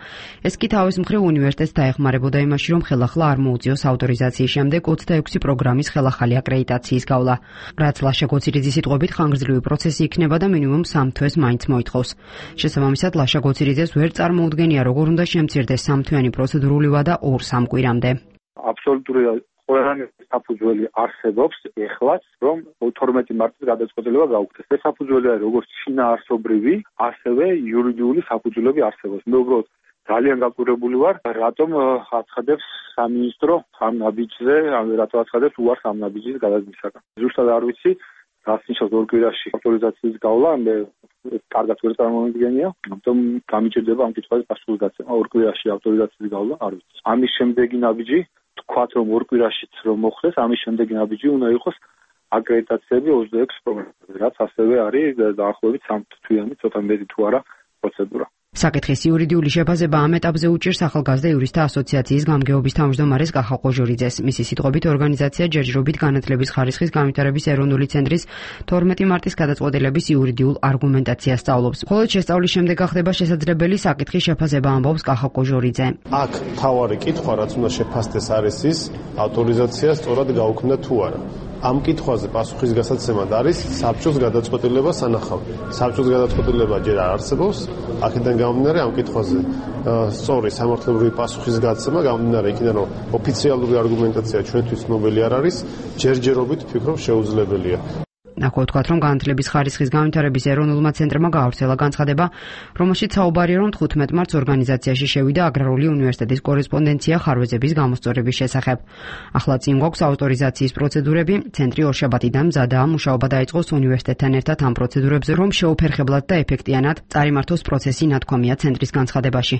Speaker 18: ეს კი თავის მხრივ უნივერსიტეტს დაეხმარებოდა იმაში, რომ ხელახლა არ მოუწიოს ავტორიზაციის შემდეგ 26 პროგრამის ხელახალი აკრედიტაციის გავლა. რაც ლაშა გოცირიძის სიტყვებით ხანგრძლივი პროცესი იქნება და მინიმუმ 3 თვეს მაინც მოითხოვს. შესაბამისად ლაშა გოცირიძეს ვერ წარმოუდგენია, როგორ უნდა შემცირდეს 3 თვიანი პროცედურული ვადა 2-3 კვირამდე.
Speaker 19: აბსოლუტური ყველანი საფუძველი არსებობს ეხლაც, რომ 12 მარტის გადაწყვეტილება გაუქმდეს. ეს საფუძველია როგორც შინაარსობრივი, ასევე იურიდიული საფუძველები არსებობს. მე უბრალოდ ძალიან გაკვირვებული ვარ, რატომ აცხადებს სამინისტრო ამ ნაბიჯზე, რატომ აცხადებს უარს ამ ნაბიჯის გადადგმისაგან. ზუსტად არ ვიცი, რაც ნიშნავს ორ კვირაში ავტორიზაციის გავლა, მე კარგად ვერ წარმოვიდგენია, ამიტომ გამიჭირდება ამ კითხვაზე პასუხის გაცემა. ორ კვირაში ავტორიზაციის გავლა არ ვიცი. ამის შემდეგი ნაბიჯი თქვათ, რომ ორ კვირაშიც რომ მოხდეს, ამის შემდეგი ნაბიჯი უნდა იყოს აკრედიტაციები 26 პროგრამაზე, რაც ასევე არის დაახლოებით 3 თვიანი, ცოტა მეტი თუ არა პროცედურა.
Speaker 18: საკითხის იურიდიული შეფასება ამ ეტაპზე უჭირს ახალგაზრდა იურისტთა ასოციაციის გამგეობის თავმჯდომარეს კახა ყოჟორიძეს. მისი სიტყვებით ორგანიზაცია ჯერჯერობით განათლების ხარისხის განვითარების ეროვნული ცენტრის 12 მარტის გადაწყვეტილების იურიდიულ არგუმენტაციას სწავლობს. მხოლოდ შესწავლის შემდეგ გახდება შესაძლებელი საკითხის შეფასება, ამბობს კახა ყოჟორიძე.
Speaker 9: აქ თავარი კითხვა, რაც უნდა შეფასდეს, არის ის, ავტორიზაცია სწორად გაუქმდა თუ არა. ამ კითხვაზე პასუხის გასაცემად არის საბჭოს გადაწყვეტილება სანახავი. საბჭოს გადაწყვეტილება ჯერ არ არსებობს, აქედან გამომდინარე ამ კითხვაზე სწორი სამართლებრივი პასუხის გაცემა გამომდინარე იქიდან, რომ ოფიციალური არგუმენტაცია ჩვენთვის ცნობილი არ არის, ჯერჯერობით ვფიქრობ შეუძლებელია.
Speaker 18: ახლა ვთქვათ, რომ განათლების ხარისხის განვითარების ეროვნულმა ცენტრმა გაავრცელა განცხადება, რომელშიც საუბარია, რომ 15 მარტს ორგანიზაციაში შევიდა აგრარული უნივერსიტეტის კორესპონდენცია ხარვეზების გამოსწორების შესახებ. ახლა წინ გვაქვს ავტორიზაციის პროცედურები, ცენტრი ორშაბათიდან მზადაა მუშაობა დაიწყოს უნივერსიტეტთან ერთად ამ პროცედურებზე, რომ შეუფერხებლად და ეფექტიანად წარიმართოს პროცესი, ნათქვამია ცენტრის განცხადებაში.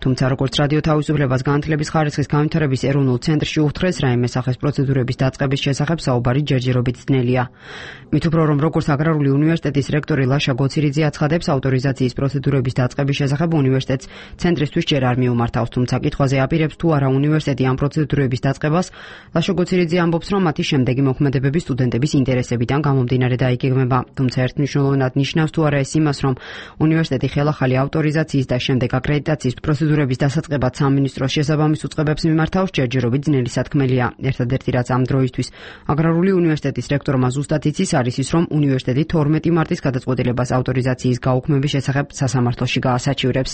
Speaker 18: თუმცა როგორც რადიო თავისუფლებას განათლების ხარისხის განვითარების ეროვნულ ცენტრში უხდრეს რაიმე სახის პროცედურების დაწყების შესახებ საუბარი ჯერჯერობით ძნელია. მით უფრო რომ როგორც აგრარული უნივერსიტეტის რექტორი ლაშა გოცირიძე აცხადებს, ავტორიზაციის პროცედურების დაწყების შესახებ უნივერსიტეტს ცენტრისთვის ჯერ არ მიუმართავს, თუმცა კითხვაზე აპირებს თუ არა უნივერსიტეტი ამ პროცედურების დაწყებას, ლაშა გოცირიძე ამბობს, რომ მათი შემდეგი მოქმედებები სტუდენტების ინტერესებიდან გამომდინარე დაიგეგმება, თუმცა ერთმნიშვნელოვნად ნიშნავს თუ არა ეს იმას, რომ უნივერსიტეტი ხელახალი ავტორიზაციის და შემდეგ აკრედიტაციის პროცედურების დასაწყებად სამინისტროს შესაბამის უწყებებს მიმართავს, ჯერჯერობით ძნელი სათქმელია. ერთადერთი რაც ამ დროისთვის აგრარული უნივერსიტეტის რექტორმა ზუსტად იცის არის ის, რომ უნივერსიტეტი 12 მარტის გადაწყვეტილებას ავტორიზაციის გაუქმების შესახებ სასამართლოში გაასაჩივრებს.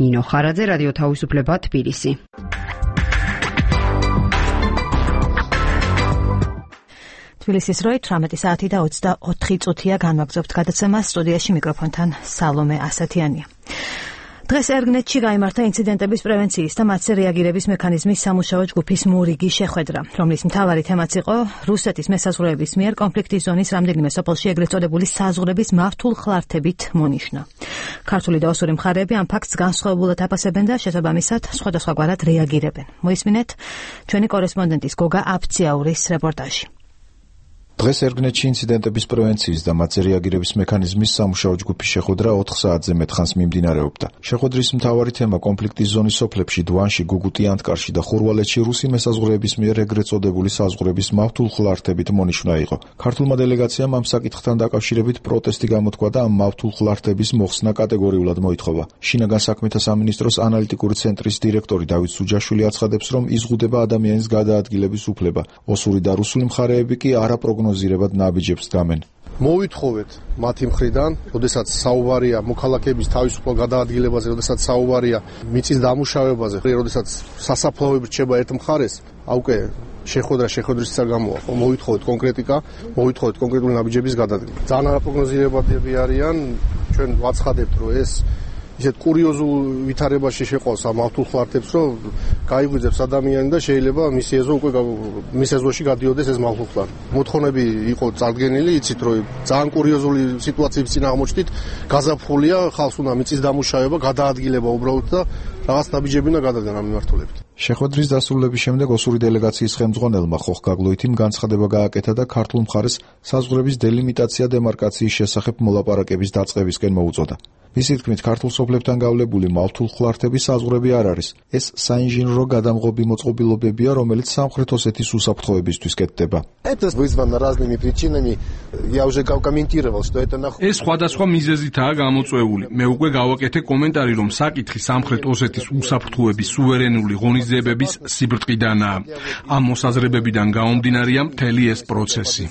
Speaker 18: ნინო ხარაძე, რადიო თავისუფლება, თბილისი.
Speaker 1: თბილისის როი 18 საათი და 24 წუთია განვაგრძობთ გადაცემას. სტუდიაში მიკროფონთან სალომე ასათიანია. დღეს ერგნეთში გაიმართა ინციდენტების პრევენციის და მათზე რეაგირების მექანიზმის სამუშაო ჯგუფის მურიგი შეხვედრა, რომლის მთავარი თემაც იყო რუსეთის მესაზღვრეების მიერ კონფლიქტის ზონის რამდენიმე სოფელში ეგრეთ წოდებული საზღვრების მართულ ხლართებით მონიშნა. ქართული და ოსური მხარეები ამ ფაქტს განსხვავებულად აფასებენ და შესაბამისად სხვადასხვაგვარად რეაგირებენ. მოისმინეთ ჩვენი კორესპონდენტის გოგა აფციაურის რეპორტაჟი.
Speaker 20: დღეს ერგნეთში ინციდენტების პრევენციის და მათზე რეაგირების მექანიზმის სამუშაო ჯგუფის შეხვედრა 4 საათზე მეტ ხანს მიმდინარეობდა. შეხვედრის მთავარი თემა კონფლიქტის ზონის სოფლებში დვანში, გუგუტი, ანტკარში და ხურვალეთში რუსი მესაზღვრეების მიერ ეგრეთ წოდებული საზღვრების მავთულ ხლართებით მონიშნა იყო. ქართულმა დელეგაციამ ამ საკითხთან დაკავშირებით პროტესტი გამოთქვა და ამ მავთულ ხლართების მოხსნა კატეგორიულად მოითხოვა. შინაგან საქმეთა სამინისტროს ანალიტიკური ცენტრის დირექტორი დავით სუჯაშვილი აცხადებს, რომ იზღუდება ადამიანის გადაადგილების უფლება. ოსური და რუსული მხარეები კი არაპროგნოზირებად ნაბიჯებს დამენ.
Speaker 9: მოვითხოვეთ მათი მხრიდან, როდესაც საუბარია მოქალაქეების თავისუფალ გადაადგილებაზე, როდესაც საუბარია მიწის დამუშავებაზე, როდესაც სასაფლაოები რჩება ერთ მხარეს, აუკე შეხვედრის საგამოა. მოვითხოვეთ კონკრეტიკა, მოვითხოვეთ კონკრეტული ნაბიჯების გადადგმა. ძალიან არაპროგნოზირებადები არიან, ჩვენ ვაცხადებთ, რომ ეს ისეთ კურიოზულ ვითარებაში შეყავს ამ მავთულ ხლართებს, რომ გაიგვიძებს ადამიანი და შეიძლება მის ეზოში გადიოდეს ეს მავთულ ხლართი. მოთხოვნები იყო წარდგენილი, იცით, რომ ძალიან კურიოზული სიტუაციების წინ აღმოჩნდით, გაზაფხულია, ხალხს უნდა მიწის დამუშავება, გადაადგილება უბრალოდ და რაღაც ნაბიჯები უნდა გადადგან ამ მიმართულებით.
Speaker 20: შეხვედრის დასრულების შემდეგ ოსური დელეგაციის ხელმძღვანელმა ხოხ გაგლოითიმ განცხადება გააკეთა და ქართულ მხარეს საზღვრების დელიმიტაცია დემარკაციის შესახებ მოლაპარაკების დაწყებისკენ მოუწოდა. მისი თქმით, ქართულ სოფლებთან გავლებული მავთულ ხლართების საზღვრები არ არის. ეს საინჟინრო გადამღობი მოწყობილობებია, რომელიც სამხრეთ ოსეთის უსაფრთხოებისთვის კეთდება.
Speaker 11: ეს სხვადასხვა მიზეზითაა გამოწვეული. მე უკვე გავაკეთე კომენტარი, რომ საკითხი სამხრეთ ოსეთის უსაფრთხოების სუვერენული ღონისძიებების სიბრტყიდანაა. ამ მოსაზრებებიდან გაომდინარეა მთელი ეს პროცესი.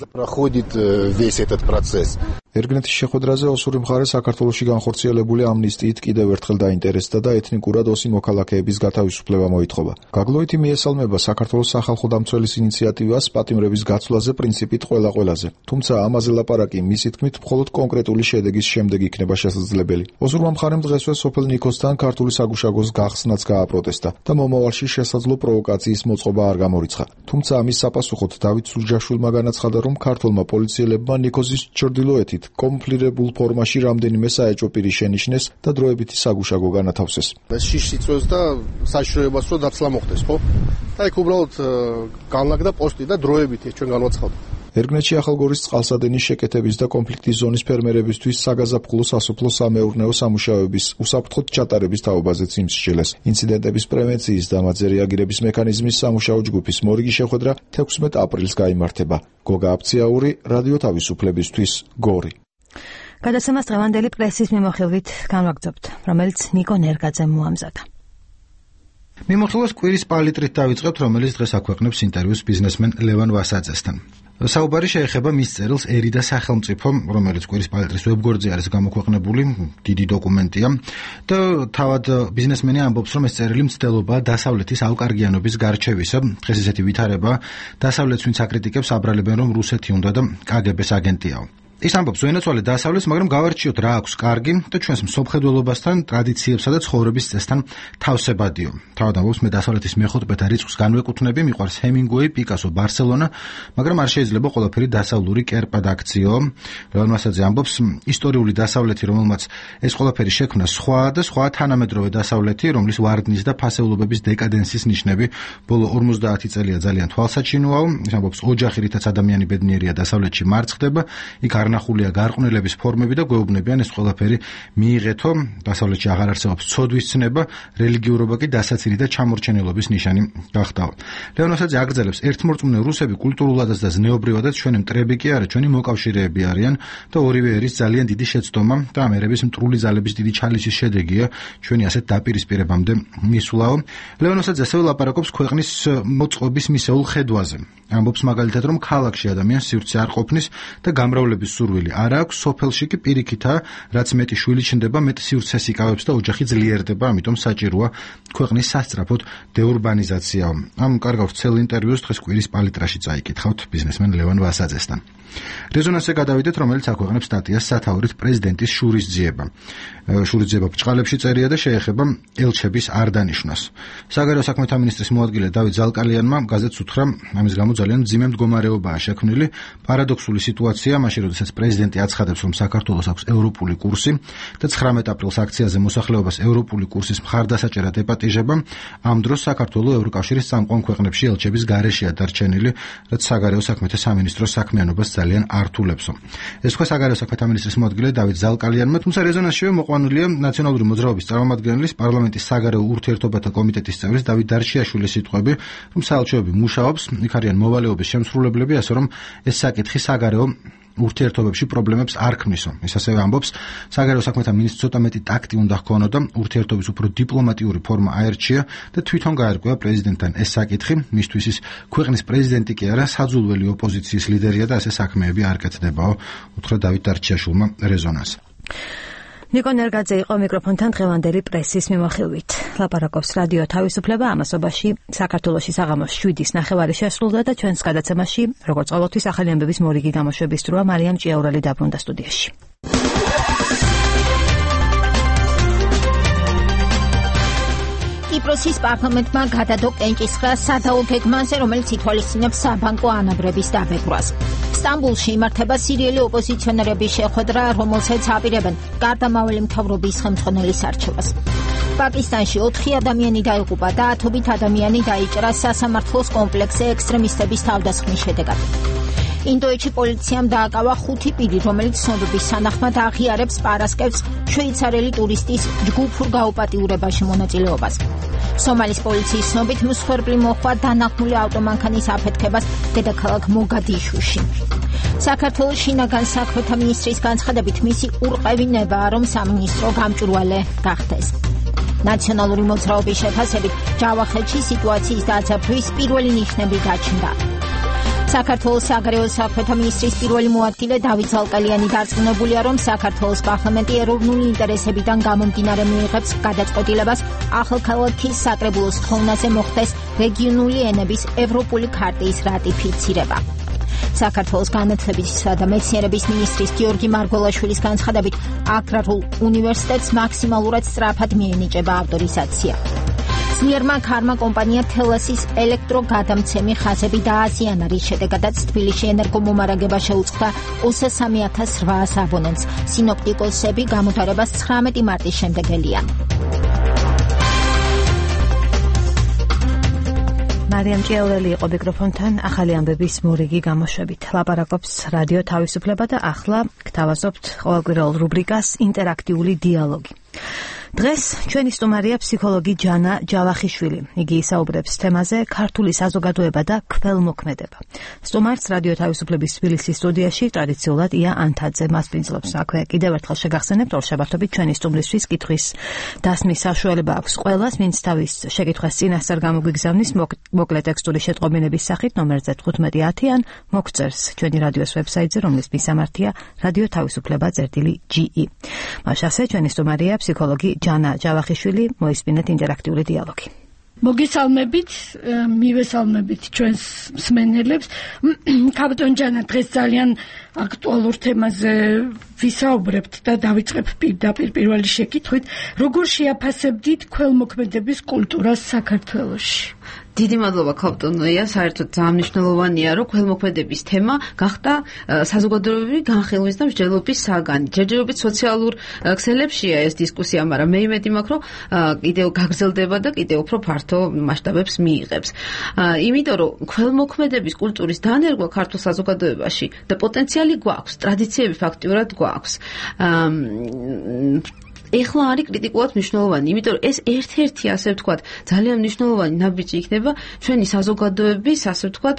Speaker 20: ერგნეთის შეხვედრაზე ოსური მხარე საქართველოში განხორციელებული ამნისტიით კიდევ ერთხელ დაინტერესდა და ეთნიკურად ოსი მოქალაქეების გათავისუფლება მოითხოვა. გაგლოითი მიესალმება საქართველოს სახალხო დამცველის ინიციატივას პატიმრების გაცვლაზე პრინციპით ყველა-ყველაზე. თუმცა ამაზე ლაპარაკი მისი თქმით მხოლოდ კონკრეტული შედეგის შემდეგ იქნება შესაძლებელი. ოსურმა მხარემ დღესვე სოფელ ნიქოსთან ქართული საგუშაგოს გახსნაც გააპროტესტა და მომავალში შესაძლო პროვოკაციის მოწყობა არ გამორიცხა. თუმცა ამის საპასუხოდ დავით სუჯაშვილმა განაცხადა, რომ ქართულმა პოლიციელებმა ნიქოზის ჩრდილოეთით კონფლიქტებულ ფორმაში რამდენიმე საეჭვო პირი შენიშნეს და დროებითი საგუშაგო განათავსეს.
Speaker 9: ეს შიშს იწვევს და საშიშროებას რომ დაცლა მოხდეს, ხო? და იქ უბრალოდ განლაგდა პოსტი და დროებითი ჩვენ განვაცხადეთ.
Speaker 20: ერგნეთში ახალგორის წყალსადენის შეკეთების და კონფლიქტის ზონის ფერმერებისთვის საგაზაფხულო სასოფლო სამეურნეო სამუშაოების უსაფრთხოდ ჩატარების თაობაზეც იმსჯელეს. ინციდენტების პრევენციის და მათზე რეაგირების მექანიზმის სამუშაო ჯგუფის მორიგი შეხვედრა 16 აპრილს გაიმართება. გოგა აფციაური, რადიო თავისუფლებისთვის, გორი.
Speaker 1: გადაცემას დღევანდელი პრესის მიმოხილვით განვაგრძობთ, რომელიც ნიკო ნერგაძემ მოამზადა.
Speaker 21: მიმოხილვას კვირის პალიტრით დავიწყებთ, რომელიც დღეს აქვეყნებს ინტერვიუს ბიზნესმენ ლევან ვასაძესთან. საუბარი შეეხება მის წერილს ერი და სახელმწიფო, რომელიც კვირის პალიტრის ვებგვერდზე არის გამოქვეყნებული, დიდი დოკუმენტია და თავად ბიზნესმენი ამბობს, რომ ეს წერილი მცდელობაა დასავლეთის ალკარგიანობის გარჩევისა. დღეს ესეთი ვითარება დასავლეთს ვინც აკრიტიკებს აბრალებენ, რომ რუსეთი უნდა და კგბ-ს აგენტიაო. ის ამბობს, ვენაცვალე დასავლეთს, მაგრამ გავარჩიოთ რა აქვს კარგი და ჩვენს მსოფლმხედველობასთან, ტრადიციებსა და ცხოვრების წესთან თავსებადიო. თავად ამბობს, მე დასავლეთის მეხუთბეთა რიცხვს განვეკუთვნები, მიყვარს ჰემინგუეი, პიკასო, ბარსელონა, მაგრამ არ შეიძლება ყველაფერი დასავლური კერპად აქციო. ლევან ვასაძე ამბობს, ისტორიული დასავლეთი, რომელმაც ეს ყველაფერი შექმნა, სხვა და სხვა თანამედროვე დასავლეთი, რომლის ვარდნის და ფასეულობების დეკადენსის ნიშნები ბოლო 50 წელია ძალიან თვალსაჩინოა. ის ამბობს, ოჯახი, რითაც ადამიანი ბედნიერია დასავლეთში მარცხდება, იქ არნახულია გარყვნილების ფორმები და გვეუბნებიან ეს ყველაფერი მიიღეთო, დასავლეთში აღარ არსებობს ცოდვის ცნება, რელიგიურობა კი დასაცინი და ჩამორჩენილობის ნიშანი გახდაო. ლევან ვასაძე აგრძელებს, ერთმორწმუნე რუსები კულტურულადაც და ზნეობრივადაც ჩვენი მტრები კი არა, ჩვენი მოკავშირეები არიან და ორივე ერის ძალიან დიდი შეცდომა და ამ ერების მტრული ძალების დიდი ჩალისის შედეგია ჩვენი ასეთ დაპირისპირებამდე მისვლაო. ლევან ვასაძე ასევე ლაპარაკობს ქვეყნის მოწყობის მისეულ ხედვაზე. ამბობს მაგალითად, რომ ქალაქში ადამიანს სივრცე არ ყოფნის და გამრავლების სურვილი არ აქვს, სოფელში კი პირიქითაა, რაც მეტი შვილი ჩნდება, მეტ სივრცეს იკავებს და ოჯახი ძლიერდება, ამიტომ საჭიროა ქვეყნის სასწრაფოდ დეურბანიზაცია. ამ კარგავ ვრცელ ინტერვიუს დღეს კვირის პალიტრაში წაიკითხავთ ბიზნესმენ ლევან ვასაძესთან. რეზონანსზე გადავიდეთ, რომელიც აქვეყნებს სტატიას სათაურით პრეზიდენტის შურისძიება. შურისძიება ბრჭყალებში წერია და შეეხება ელჩების არ დანიშვნას. საგარეო საქმეთა მინისტრის მოადგილე დავით ზალკალიანმა გაზეთს უთხრა, ამის გამო ძალიან მძიმე მდგომარეობაა შექმნილი. პარადოქსული სიტუაცია, მაშინ როდესაც პრეზიდენტი აცხადებს, რომ საქართველოს აქვს ევროპული კურსი და 19 აპრილს აქციაზე მოსახლეობას ევროპული კურსის მხარდასაჭერად ეპატიჟება, ამ დროს საქართველოს ევროკავშირის წამყვან ქვეყნებში ელჩების გარეშეა დარჩენილი, რაც საგარეო საქმეთა სამინისტროს საქმიანობას ძალიან ართულებსო. ეს თქვა საგარეო საქმეთა მინისტრის მოადგილე დავით ზალკალიანმა, თუმცა რეზონანსშივე მოყვანილია ნაციონალური მოძრაობის წარმომადგენლის პარლამენტის საგარეო ურთიერთობათა კომიტეტის წევრის დავით დარჩიაშვილის სიტყვები, რომ საელჩოები მუშაობს, იქ არიან მოვალეობის შემსრულებლები, ასე რომ ეს საკითხი საგარეო ურთიერთობებში პრობლემებს არ ქმნისო. ის ასევე ამბობს, საგარეო საქმეთა მინისტრს ცოტა მეტი ტაქტი უნდა ჰქონოდა, ურთიერთობის უფრო დიპლომატიური ფორმა აერჩია და თვითონ გაერკვევა პრეზიდენტთან ეს საკითხი, მისთვის ის ქვეყნის პრეზიდენტი კი არა, საძულველი ოპოზიციის ლიდერია და ასე საქმეები არ კეთდებაო, უთხრა დავით დარჩიაშვილმა რეზონანს.
Speaker 1: ნიკო ნერგაძე იყო მიკროფონთან დღევანდელი პრესის მიმოხილვით. ლაპარაკობს რადიო თავისუფლება, ამასობაში საქართველოში საღამოს 7:09 შესრულდა და ჩვენს გადაცემაში, როგორც ყოველთვის, ახალი ამბების მორიგი გამოშვების დროა. მარიამ ჭიაურელი დაბრუნდა სტუდიაში.
Speaker 2: კიპროსის პარლამენტმა გადადო კენჭისყრა სადაო გეგმაზე, რომელიც ითვალისწინებს საბანკო ანაბრების დაბეჭდვას. სტამბულში იმართება სირიელი ოპოზიციონერების შეხვედრა, რომელსაც აპირებენ გარდამავალი მთავრობის ხელმძღვანელის არჩევას. პაკისტანში 4 ადამიანი დაიღუპა და 10 ადამიანი დაიჭრა სასამართლოს კომპლექსზე ექსტრემისტების თავდასხმის შედეგად. ინდოეთში პოლიციამ დააკავა 5 პირი, რომელიც ცნობების თანახმად აღიარებს პარასკევს შვეიცარიელი ტურისტის ჯგუფურ გაუპატიურებაში მონაწილეობას. სომალის პოლიციის ცნობით მსხვერპლი მოჰყვა დანახმული ავტომანქანის აფეთქებას დედაქალაქ მოგადიშუში. საქართველოს შინაგან საქმეთა მინისტრის განცხადებით მისი ურყევინებაა, რომ სამინისტრო გამჭვირვალე გახდეს. ნაციონალური მოძრაობის შეფასებით ჯავახეთში სიტუაციის დაძაბვის პირველი ნიშნები გაჩნდა. საქართველოს საგარეო საქმეთა მინისტრის პირველი მოადგილე დავით ზალკალიანი დარწმუნებულია, რომ საქართველოს პარლამენტი ეროვნული ინტერესებიდან გამომდინარე მიიღებს გადაწყვეტილებას ახალქალაქის საკრებულოს ხოვნაზე მოხდეს რეგიონული ენების ევროპული ქარტიის რატიფიცირება. საქართველოს განათლებისა და მეცნიერების მინისტრის გიორგი მარგველაშვილის განცხადებით აგრარულ უნივერსიტეტს მაქსიმალურად სწრაფად მიენიჭება ავტორიზაცია. ძლიერმა ქარმა კომპანია თელასის ელექტროგადამცემი ხაზები დააზიანა, რის შედეგადაც თბილისში ენერგომომარაგება შეუწყდა 23,800 აბონენტს. სინოპტიკოსები გამოდარებას 19 მარტის შემდეგ ელიან. მარიამ ჭიაურელი იყო მიკროფონთან ახალი ამბების მორიგი გამოშვებით. ლაპარაკობს რადიო თავისუფლება და ახლა გთავაზობთ ყოველკვირეულ რუბრიკას ინტერაქტიული დიალოგი. დღეს ჩვენი სტუმარია ფსიქოლოგი ჯანა ჯავახიშვილი. იგი ისაუბრებს თემაზე ქართული საზოგადოება და ქველმოქმედება. სტუმარს რადიო თავისუფლების თბილისის სტუდიაში ტრადიციულად ია ანთაძე მასპინძლობს. აქვე კიდევ ერთხელ შეგახსენებთ, რომ შაბათობით ჩვენი სტუმრისთვის კითხვის დასმის საშუალება აქვს ყველას, ვინც თავის შეკითხვას წინასწარ გამოგვიგზავნის მოკლე ტექსტური შეტყობინების სახით ნომერზე 1510 ან მოგწერს ჩვენი რადიოს ვებსაიტზე, რომლის მისამართია რადიო თავისუფლება.ge. მასე ჩვენი სტუმარია ფსიქოლოგი ჯანა ჯავახიშვილი, მოისმინეთ ინტერაქტიული დიალოგი.
Speaker 4: მოგესალმებით, მივესალმებით ჩვენს მსმენელებს. კაპიტან ჯანა, დღეს ძალიან აქტუალურ თემაზე ვისაუბრებთ და დავიწყებ პირდაპირ პირველი შეკითხვით, როგორ შეაფასებდით ქველმოქმედების კულტურას საქართველოში?
Speaker 22: დიდი მადლობა კაპიტანია, საერთოდ ძალიან მნიშვნელოვანია, რომ ქველმოქმედების თემა გახდა საზოგადოებრივი განხილვის და მსჯელობის საგანი. ჯერჯერობით სოციალურ ქსელებშია ეს დისკუსია, მაგრამ მე იმედი მაქვს, რომ კიდევ გაგრძელდება და კიდევ უფრო ფართო მასშტაბებს მიიღებს. იმიტომ რომ ქველმოქმედების კულტურის დანერგვა ქართულ საზოგადოებაში და პოტენციალი გვაქვს, ტრადიციები ფაქტიურად გვაქვს. ეხლა არის კრიტიკულად მნიშვნელოვანი, იმიტომ რომ ეს ერთ-ერთი, ასე ვთქვათ, ძალიან მნიშვნელოვანი ნაბიჯი იქნება ჩვენი საზოგადოების, ასე ვთქვათ,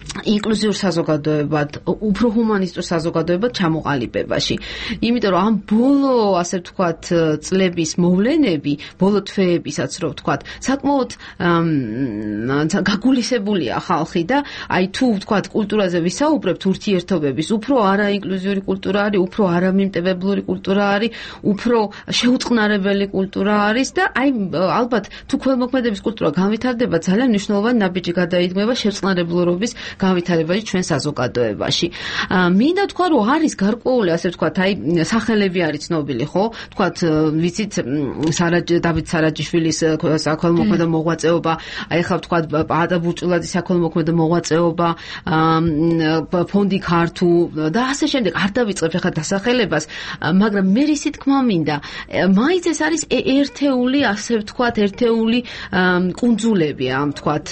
Speaker 22: ინკლუზიურ საზოგადოებად, უფრო ჰუმანისტურ საზოგადოებად ჩამოყალიბებაში. იმიტომ რომ ამ ბოლო, ასე ვთქვათ, წლების მოვლენები, ბოლო თვეებისაც რო ვთქვათ, საკმაოდ გაგულისებულია ხალხი და აი თუ ვთქვათ, კულტურაზე ვისაუბრებთ, ურთიერთობების, უფრო არაინკლუზიური კულტურა არის, უფრო არამიმტევებლური კულტურა არის, უფრო შეუწყნარებელი კულტურა არის და აი ალბათ თუ ქველმოქმედების კულტურა განვითარდება, ძალიან მნიშვნელოვანი ნაბიჯი გადაიდგმება შეწყნარებლურობის განვითარებაში ჩვენ საზოგადოებაში. მინდა თქვა, რომ არის გარკვეული, ასე ვთქვათ, აი სახელები არის ცნობილი, ხო? ვთქვათ, ვიცით, დავით სარაჯიშვილის საქველმოქმედო მოღვაწეობა, აი ახლა ვთქვათ, ადა ბურჭულაძის საქველმოქმედო მოღვაწეობა, ფონდი ქართუ და ასე შემდეგ. არ დავიწყებ ახლა დასახელებას, მაგრამ მე რისი თქმა მინდა, მაინც ეს არის ერთეული, ასე ვთქვათ, ერთეული კუნძულები, ამ ვთქვათ,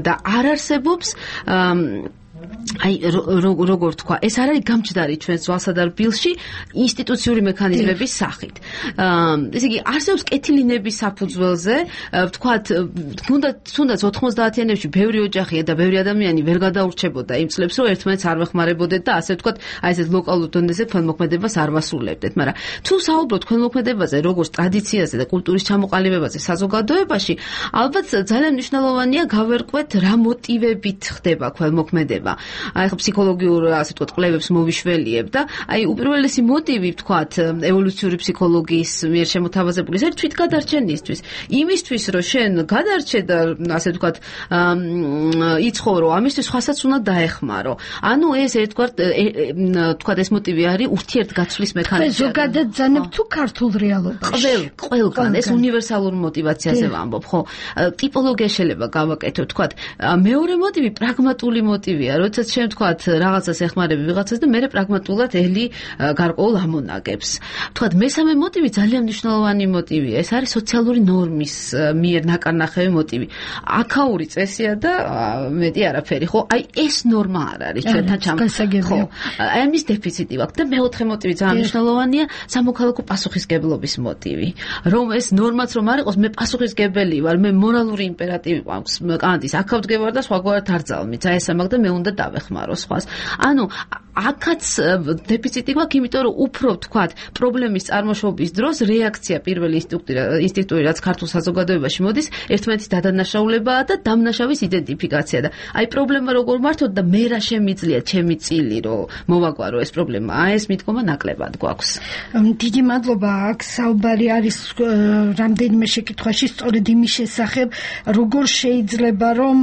Speaker 22: და არ არსებობს აი როგორ თქვა, ეს არ არის გამჯდარი ჩვენს ზვალსა და რბილში ინსტიტუციური მექანიზმების სახით. ესე იგი, არსებობს კეთილინების საფუძველზე, ვთქვათ, თუნდაც 90-იანებში ბევრი ოჯახია და ბევრი ადამიანი ვერ გადაურჩებოდა იმ წლებს, რომ ერთმანეთს არ ვეხმარებოდეთ და ასე ვთქვათ, აი ესეთ ლოკალურ დონეზე ქველმოქმედებას არ ვასრულებდეთ, მაგრამ თუ საუბრობთ ქველმოქმედებაზე, როგორც ტრადიციაზე და კულტურის ჩამოყალიბებაზე საზოგადოებაში, ალბათ ძალიან მნიშვნელოვანია გავერკვეთ რა მოტივებით ხდება ქველმოქმედება. აი ხო ფსიქოლოგიურ ასე ვთქვათ კვლევებს მოვიშველიებ და აი უპირველესი მოტივი ვთქვათ ევოლუციური ფსიქოლოგიის მიერ შემოთავაზებული ეს თვითგადარჩენისთვის იმისთვის რომ შენ გადარჩე და ასე ვთქვათ იცხოვრო ამისთვის სხვასაც უნდა დაეხმარო ანუ ეს ვთქვათ ეს მოტივი არის ურთიერთგაცვლის მექანიზმი
Speaker 4: ზოგადად ძანებ თუ ქართულ რეალობაში
Speaker 22: ყველგან ეს უნივერსალურ მოტივაციაზე ვამბობ ხო ტიპოლოგია შეიძლება გავაკეთო ვთქვათ მეორე მოტივი პრაგმატული მოტივია როდესაც შენ ვთქვათ რაღაცას ეხმარები ვიღაცას და მე პრაგმატულად ელი გარკვეულ ამონაგებს. ვთქვათ მესამე მოტივი ძალიან მნიშვნელოვანი მოტივია. ეს არის სოციალური ნორმის მიერ ნაკარნახევი მოტივი. აქაური წესია და მეტი არაფერი, ხო? აი ეს ნორმა არ არის ჩვენთან ხო. აი ამის დეფიციტი ვაქვს და მეოთხე მოტივი ძალიან მნიშვნელოვანია სამოქალაქო პასუხისგებლობის მოტივი. რომ ეს ნორმაც რომ არ იყოს, მე პასუხისგებელი ვარ, მე მორალური იმპერატივი მაქვს კანტის აქავდგევარ და სხვაგვარად არ ძალმით. აი ესა მაგ და მე უნდა დავეხმარო სხვას. ანუ აქაც დეფიციტი გვაქვს, იმიტომ რომ უფრო ვთქვათ, პრობლემის წარმოშობის დროს რეაქცია პირველი ინსტინქტური რაც ქართულ საზოგადოებაში მოდის, ერთმანეთის დადანაშაულებაა და დამნაშავის იდენტიფიკაცია და აი პრობლემა როგორ მართოთ და მე რა შემიძლია ჩემი წილი რომ მოვაგვარო ეს პრობლემა. აი ეს მიდგომა ნაკლებად გვაქვს.
Speaker 4: დიდი მადლობა. აქ საუბარი არის რამდენიმე შეკითხვაში სწორედ იმის შესახებ, როგორ შეიძლება რომ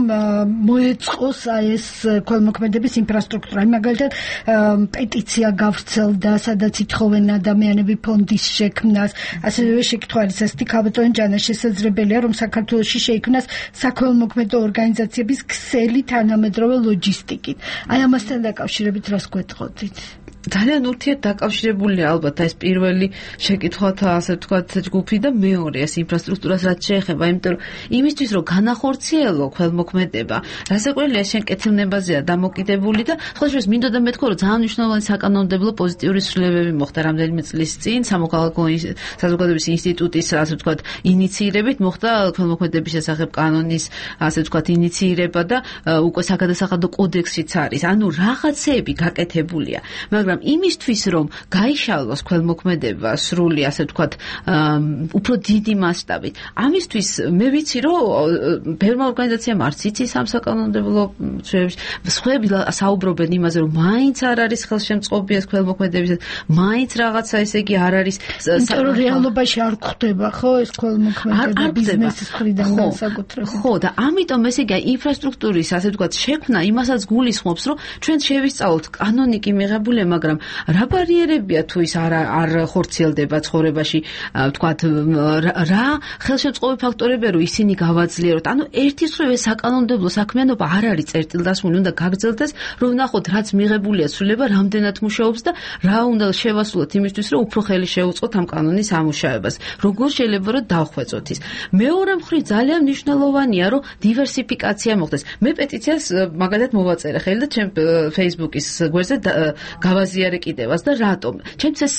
Speaker 4: მოეწყოს აი ეს ქველმოქმედების ინფრასტრუქტურა. მაგალითად პეტიცია გავრცელდა, სადაც ითხოვენ ადამიანები ფონდის შექმნას. ასევე შეკითხვა არის ასეთი, ქალბატონ ჯანა, შესაძლებელია რომ საქართველოში შეიქმნას საქველმოქმედო ორგანიზაციების ქსელი თანამედროვე ლოჯისტიკით. აი ამასთან დაკავშირებით რას გვეტყოდით?
Speaker 22: ძალიან ურთიერთდაკავშირებულია ალბათ ეს პირველი შეკითხვათა ასე ვთქვათ ჯგუფი და მეორე ეს ინფრასტრუქტურას რაც შეეხება, იმიტომ რომ იმისთვის რომ განახორციელო ქველმოქმედება, რასაკვირველია შენ კეთილნებაზეა დამოკიდებული და ხოლმე მინდოდა მეთქვა რომ ძალიან მნიშვნელოვანი საკანონმდებლო პოზიტიური ცვლილებები მოხდა რამდენიმე წლის წინ სამოქალაქო საზოგადოების ინსტიტუტის ასე ვთქვათ ინიციირებით მოხდა ქველმოქმედების შესახებ კანონის ასე ვთქვათ ინიციირება და უკვე საგადასახადო კოდექსიც არის. ანუ რაღაცეები გაკეთებულია, მაგრამ იმისთვის რომ გაიშალოს ქველმოქმედება სრული ასე ვთქვათ უფრო დიდი მასშტაბით ამისთვის მე ვიცი რომ ბევრმა ორგანიზაციამ არც იცის ამ საკანონმდებლო ცვლილებებს სხვები საუბრობენ იმაზე რომ მაინც არ არის ხელშემწყობი ეს ქველმოქმედების მაინც რაღაცა ესე იგი არ არის
Speaker 4: იმიტომ რეალობაში არ გვხდება ხო ეს ქველმოქმედება ბიზნესის მხრიდან განსაკუთრებით
Speaker 22: ხო და ამიტომ ესე იგი ინფრასტრუქტურის ასე ვთქვათ შექმნა იმასაც გულისხმობს რომ ჩვენ შევისწავლოთ კანონიკი მიღებული მაგრამ რა ბარიერებია თუ ის არ ხორციელდება ცხოვრებაში ვთქვათ რა ხელშემწყობი ფაქტორებია რომ ისინი გავაძლიეროთ ანუ ერთის მხრივ ეს საკანონმდებლო საქმიანობა არ არის წერტილდასმული უნდა გაგრძელდეს რომ ნახოთ რაც მიღებულია ცვლილება რამდენად მუშაობს და რა უნდა შევასრულოთ იმისთვის რომ უფრო ხელი შეუწყოთ ამ კანონის ამუშავებას როგორ შეიძლება რომ დავხვეწოთ ის მეორე მხრივ ძალიან მნიშვნელოვანია რომ დივერსიფიკაცია მოხდეს მე პეტიციას მაგალითად მოვაწერე ხელი და ჩემ Facebook-ის გვერდზე გავაზიარე გაუზიარე კიდევაც და რატომ? ჩემთვის ეს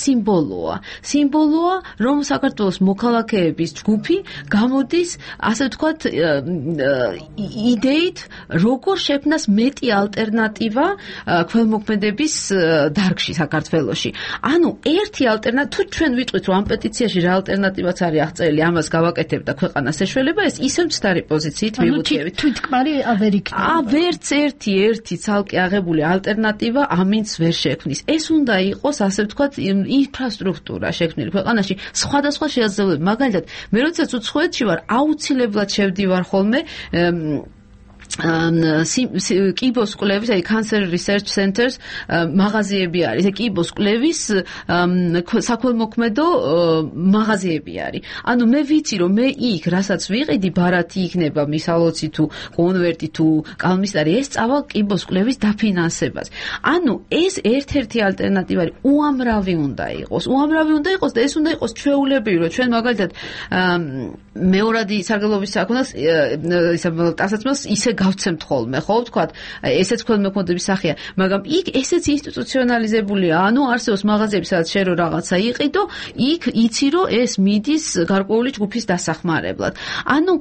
Speaker 22: სიმბოლოა, რომ საქართველოს მოქალაქეების ჯგუფი გამოდის, ასე ვთქვათ, იდეით, როგორ შექმნას მეტი ალტერნატივა ქველმოქმედების დარგში საქართველოში. ანუ ერთი ალტერნატივა, თუ ჩვენ ვიტყვით, რომ ამ პეტიციაში რა ალტერნატივაც არის აღწერილი, ამას გავაკეთებ და ქვეყანას ეშველება, ეს ისევ მცდარი პოზიციით მივუწევით.
Speaker 4: თვითკმარი ვერ იქნება.
Speaker 22: ვერც ერთი ცალკე აღებული ალტერნატივა ამინც ვერ შექმნის. ეს უნდა იყოს, ასე ვთქვათ, ინფრასტრუქტურა შექმნილი ქვეყანაში სხვადასხვა შესაძლებლობები. მაგალითად, მე როდესაც უცხოეთში ვარ, აუცილებლად შევდივარ ხოლმე კიბოს კვლევის, აი Cancer Research Centers მაღაზიები არის. ეს კიბოს კვლევის საქველმოქმედო მაღაზიები არის. ანუ მე ვიცი, რომ მე იქ, რასაც ვიყიდი, ბარათი იქნება, მისალოცი თუ კონვერტი თუ კალმისტარი, ეს წავალ კიბოს კვლევის დაფინანსებას. ანუ ეს ერთ-ერთი ალტერნატივა არის. უამრავი უნდა იყოს და ეს უნდა იყოს ჩვეულებრივი, რომ ჩვენ მაგალითად მეორადი სარგებლობის საქმეს ტასაცმელს ისე გავცემთ ხოლმე, ხო, ვთქვათ, ესეც ქველმოქმედების სახეა, მაგრამ იქ ესეც ინსტიტუციონალიზებულია, ანუ არსებობს მაღაზიები, სადაც შენ რო რაღაცა იყიდო, იქ იცი, რომ ეს მიდის გარკვეული ჯგუფის დასახმარებლად. ანუ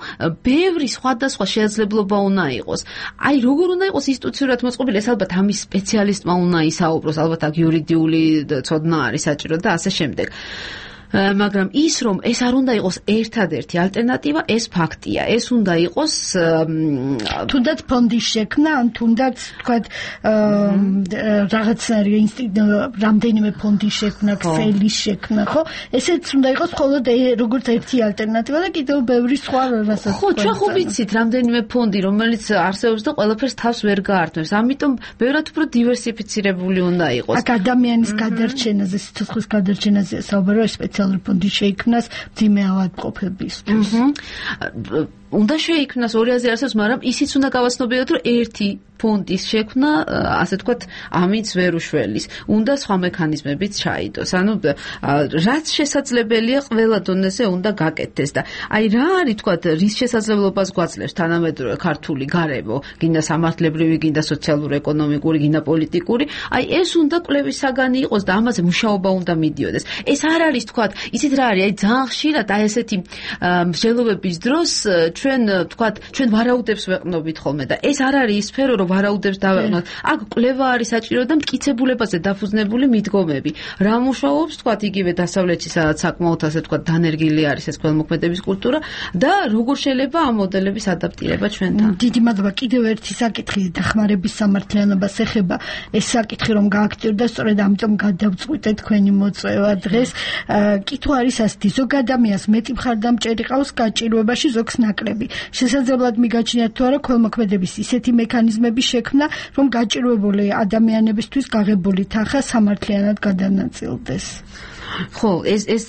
Speaker 22: ბევრი სხვადასხვა შესაძლებლობა უნდა იყოს. აი, როგორ უნდა იყოს ინსტიტუციურად მოწყობილი, ეს ალბათ ამის სპეციალისტმა უნდა ისაუბროს, ალბათ აქ იურიდიული ცოდნა არის საჭირო და ასე შემდეგ. მაგრამ ის რომ ეს არ უნდა იყოს ერთადერთი ალტერნატივა, ეს ფაქტია. ეს უნდა იყოს
Speaker 4: თუნდაც ფონდის შექმნა, ან თუნდაც თქვათ რაღაცნაირი რამდენიმე ფონდის შექმნა, ქსელის შექმნა, ხო? ესეც უნდა იყოს მხოლოდ როგორც ერთი ალტერნატივა და კიდევ ბევრი სხვა რასაც.
Speaker 22: ხო, ჩვენ ხო ვიცით რამდენიმე ფონდი, რომელიც არსებობს და ყველაფერს თავს ვერ გაართმევს. ამიტომ ბევრად უფრო დივერსიფიცირებული უნდა იყოს.
Speaker 4: აქ ადამიანის გადარჩენაზე, სიცოცხლის გადარჩენაზე საუბარია სპეციალური ფონდი შეიქმნას მძიმე ავადმყოფებისთვის.
Speaker 22: უნდა შეიქმნას, ორი აზრი არსებობს, მაგრამ ისიც უნდა გავაცნობიეროთ, რომ ერთი ფონდის შექმნა, ასე ვთქვათ, ამით ვერ უშველის. უნდა სხვა მექანიზმებიც ჩაიდოს. ანუ რაც შესაძლებელია, ყველა დონეზე უნდა გაკეთდეს და აი რა არის, ვთქვათ, რის შესაძლებლობას გვაძლევს თანამედროვე ქართული გარემო, გინდა სამართლებრივი, გინდა სოციალურ-ეკონომიკური, გინდა პოლიტიკური, აი ეს უნდა კვლევის საგანი იყოს და ამაზე მუშაობა უნდა მიდიოდეს. ეს არ არის, ვთქვათ, ისიც რა არის, აი ძალიან ხშირად აი ესეთი მსჯელობების დროს ჩვენ ვარაუდებს ვეყნობით ხოლმე და ეს არ არის ის სფერო, რომ ვარაუდებს დავეყნოთ. აქ კვლევა არის საჭირო და მტკიცებულებაზე დაფუძნებული მიდგომები. რა მუშაობს, ვთქვათ, იგივე დასავლეთში, სადაც საკმაოდ ასე ვთქვათ, დანერგილი არის ეს ქველმოქმედების კულტურა და როგორ შეიძლება ამ მოდელების ადაპტირება ჩვენთან.
Speaker 4: დიდი მადლობა. კიდევ ერთი საკითხი დახმარების სამართლიანობას ეხება. ეს საკითხი რომ გააქტიურდა, სწორედ ამიტომ გადავწყვიტე თქვენი მოწვევა დღეს. კითხვა არის ასეთი: ზოგ ადამიანს მეტი მხარდამჭერი ყავს გაჭირვებაში, ზოგს ნაკლები. შესაძლებლად მიგაჩნიათ თუ არა ქველმოქმედების ისეთი მექანიზმების შექმნა, რომ გაჭირვებული ადამიანებისთვის გაღებული თანხა სამართლიანად გადანაწილდეს.
Speaker 22: ხო, ეს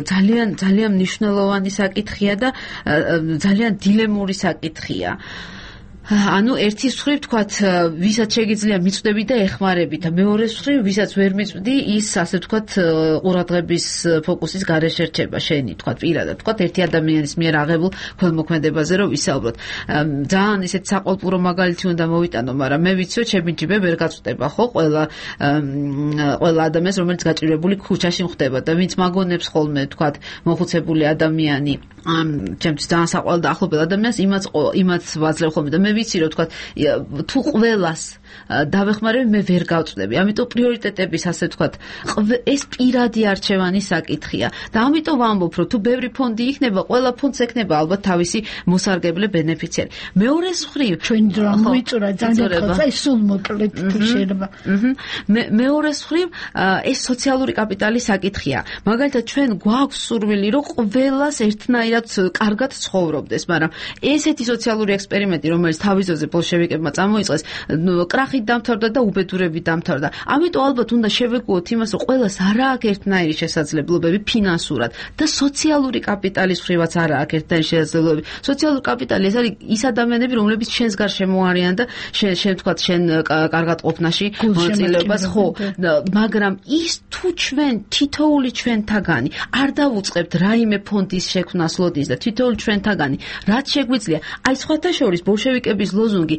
Speaker 22: ძალიან მნიშვნელოვანი საკითხია და ძალიან დილემური საკითხია. ანუ ერთის მხრივ თქვათ, ვისაც შეგიძლია მიწვდები და ეხმარები და მეორეს მხრივ, ვისაც ვერ მიწვდი, ის ასე ვთქვათ, ყურადღების ფოკუსის გარეშე რჩება შენი, თქვათ, პირადად, თქვათ, ერთი ადამიანის მიერ აღებულ ქველმოქმედებაზე რომ ვისაუბროთ. ძალიან ისეთ საყვალპურო მაგალითი უნდა მოვიტანო, მაგრამ მე ვიცი, რომ ჩემი ჯიბე ვერ გაწვდება, ხო, ყველა ადამიანს, რომელიც გაჭირვებული ქუჩაში მხვდება და ვინც მაგონებს ხოლმე, თქვათ, მოხუცებული ადამიანი, ჩემთვის ძალიან საყვალ და ახლობელ ადამიანს იმაც ვაძლევ ხოლმე და მე ვიცი, რომ თქვათ, თუ ყველას დავეხმარები, მე ვერ გავწვდები. ამიტომ პრიორიტეტების, ასე ვთქვათ, ეს პირადი არჩევანის საკითხია. და ამიტომ ვამბობ, რომ თუ ბევრი ფონდი იქნება, ყველა ფონდს ექნება ალბათ თავისი მოსარგებლე ბენეფიციარი. მეორეს მხრივ,
Speaker 4: ჩვენი დრო მოიწურა ძალიან ხალხი, სულ მოკლედ თუ შეიძლება.
Speaker 22: მეორეს მხრივ, ეს სოციალური კაპიტალის საკითხია. მაგალითად, ჩვენ გვაქვს სურვილი, რომ ყველას ერთნაირად კარგად ცხოვრობდეს, მაგრამ ესეთი სოციალური ექსპერიმენტი, რომელიც თავის ძოზე ბოლშევიკებმა წამოიწყეს, კრახით დამთავრდა და უბედურებით დამთავრდა. ამიტომ ალბათ უნდა შევეგუოთ იმას, რომ ყველას არ აქვს ერთნაირი შესაძლებლობები ფინანსურად და სოციალური კაპიტალის მხრივაც არ აქვს ერთნაირი შესაძლებლობები. სოციალური კაპიტალი ეს არის ის ადამიანები, რომლებიც ჩვენს გარშემო არიან და შენ ვთქვათ, შენ კარგად ყოფნაში მონაწილეობას, ხო, მაგრამ ის თუ ჩვენ თითოეული ჩვენთაგანი არ დავუწყებთ რაიმე ფონდის შექმნას ლოდის და თითოეული ჩვენთაგანი რაც შეგვიძლია, აი სხვათა შორის ბოლშევიკები კრიზისების ლოზუნგი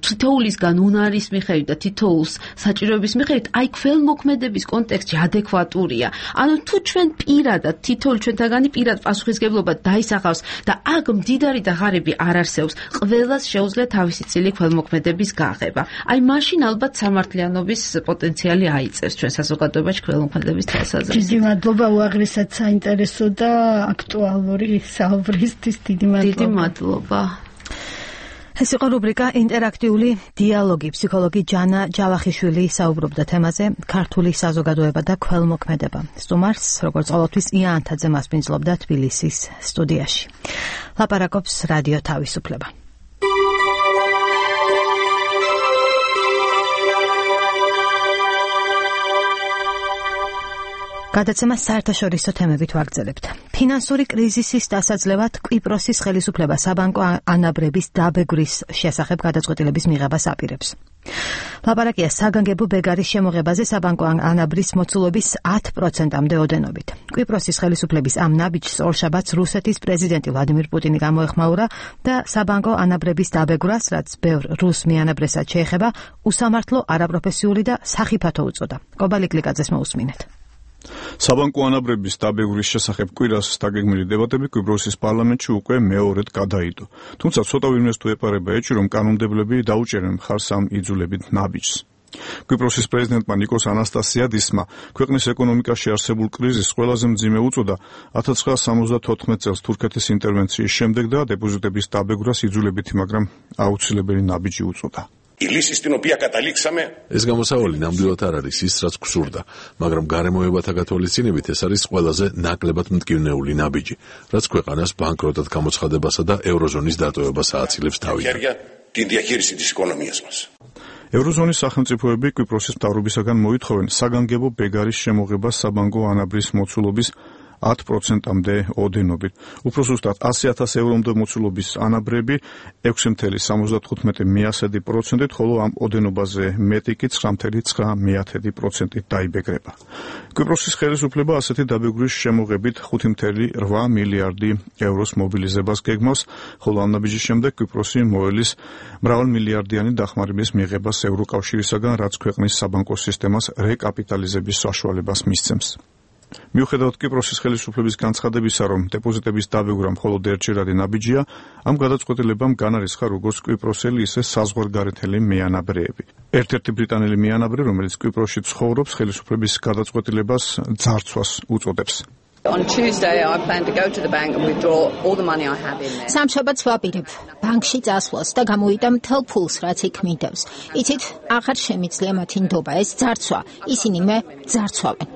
Speaker 22: თითოულისგან უნარის მიხედვით და თითოულს საჭიროების მიხედვით აი ქველმოქმედების კონტექსტში ადეკვატურია. ანუ თუ ჩვენ პირადად თითოეული ჩვენთაგანი პირად პასუხისგებლობა დაისახავს და აქ მდიდარი და ღარიბი არ არსებობს, ყველას შეუძლია თავისი წილი ქველმოქმედების გაღება. აი მაშინ ალბათ სამართლიანობის პოტენციალი აიწევს ჩვენ საზოგადოებაში ქველმოქმედების თვალსაზრისით.
Speaker 4: დიდი მადლობა უაღრესად საინტერესო და აქტუალური საუბრისთვის. დიდი
Speaker 22: მადლობა.
Speaker 1: ეს იყო რუბრიკა ინტერაქტიული დიალოგი. ფსიქოლოგი ჯანა ჯავახიშვილი საუბრობდა თემაზე ქართული საზოგადოება და ქველმოქმედება. სტუმარს, როგორც ყოველთვის, ია ანთაძე მასპინძლობდა თბილისის სტუდიაში. ლაპარაკობს რადიო თავისუფლება. გადაცემა საერთაშორისო თემებით ვაგრძელებთ. ფინანსური კრიზისის დასაძლევად კვიპროსის ხელისუფლება საბანკო ანაბრების დაბეგვრის შესახებ გადაწყვეტილების მიღებას აპირებს. ლაპარაკია საგანგებო ბეგარის შემოღებაზე საბანკო ანაბრის მოცულობის 10%-მდე ოდენობით. კვიპროსის ხელისუფლების ამ ნაბიჯს ორშაბათს რუსეთის პრეზიდენტი ვლადიმირ პუტინი გამოეხმაურა და საბანკო ანაბრების დაბეგვრას, რაც ბევრ რუს მიანაბრესაც შეეხება, უსამართლო, არაპროფესიული და სახიფათო უწოდა. კობალი კლიკაძეს მოусმინეთ.
Speaker 3: საბანკო ანაბრების დაბეგრის შესახებ კვირას დაგეგმილი დებატები კვიპროსის პარლამენტში უკვე მეორედ გადაიდო. თუმცა ცოტა ვინმეს თუ ეპარება ეჭვი, რომ კანონმდებლები დაუჭერენ მხარს ამ იძულებით ნაბიჯს. კვიპროსის პრეზიდენტმა ნიკოს ანასტასიადისმა ქვეყნის ეკონომიკაში არსებულ კრიზისს ყველაზე მძიმე უწოდა 1974 წელს თურქეთის ინტერვენციის შემდეგ და დეპოზიტების დაბეგვრას იძულებითი, მაგრამ აუცილებელი ნაბიჯი უწოდა.
Speaker 6: ეს გამოსავალი ნამდვილად არ არის ის, რაც გვსურდა, მაგრამ გარემოებათა გათვალისწინებით ეს არის ყველაზე ნაკლებად მტკივნეული ნაბიჯი, რაც ქვეყანას ბანკროტად გამოცხადებასა და ევროზონის დატოვებას ააცილებს თავიდან.
Speaker 3: ევროზონის სახელმწიფოები კვიპროსის მთავრობისაგან მოითხოვენ საგანგებო ბეგარის შემოღებას საბანკო ანაბრის მოცულობის 10%-მდე ოდენობით. უფრო ზუსტად 100,000 ევრომდე მოცულობის ანაბრები 6,75%-ით, ხოლო ამ ოდენობაზე მეტი კი 9,9%-ით დაიბეგრება. კვიპროსის ხელისუფლება ასეთი დაბეგრის შემოღებით 5,8 მილიარდი ევროს მობილიზებას გეგმავს, ხოლო ამ ნაბიჯის შემდეგ კვიპროსი მოელის მრავალმილიარდიანი დახმარების მიღებას ევროკავშირისაგან, რაც ქვეყნის საბანკო სისტემას რეკაპიტალიზების საშუალებას მისცემს. მიუხედავად კვიპროსის ხელისუფლების განცხადებისა, რომ დეპოზიტების დაბეგვრა მხოლოდ ერთჯერადი ნაბიჯია, ამ გადაწყვეტილებამ განარისხა როგორც კვიპროსელი, ისე საზღვარგარეთელი მეანაბრეები. ერთ-ერთი ბრიტანელი მეანაბრე, რომელიც კვიპროსში ცხოვრობს, ხელისუფლების გადაწყვეტილებას ძარცვას უწოდებს.
Speaker 2: სამშაბათს ვაპირებ ბანკში წასვლას და გამოვიდა მთელ ფულს, რაც იქ მინდავს. იცით, აღარ შემიძლია მათი ნდობა, ეს ძარცვა. ისინი მე ძარცვავენ.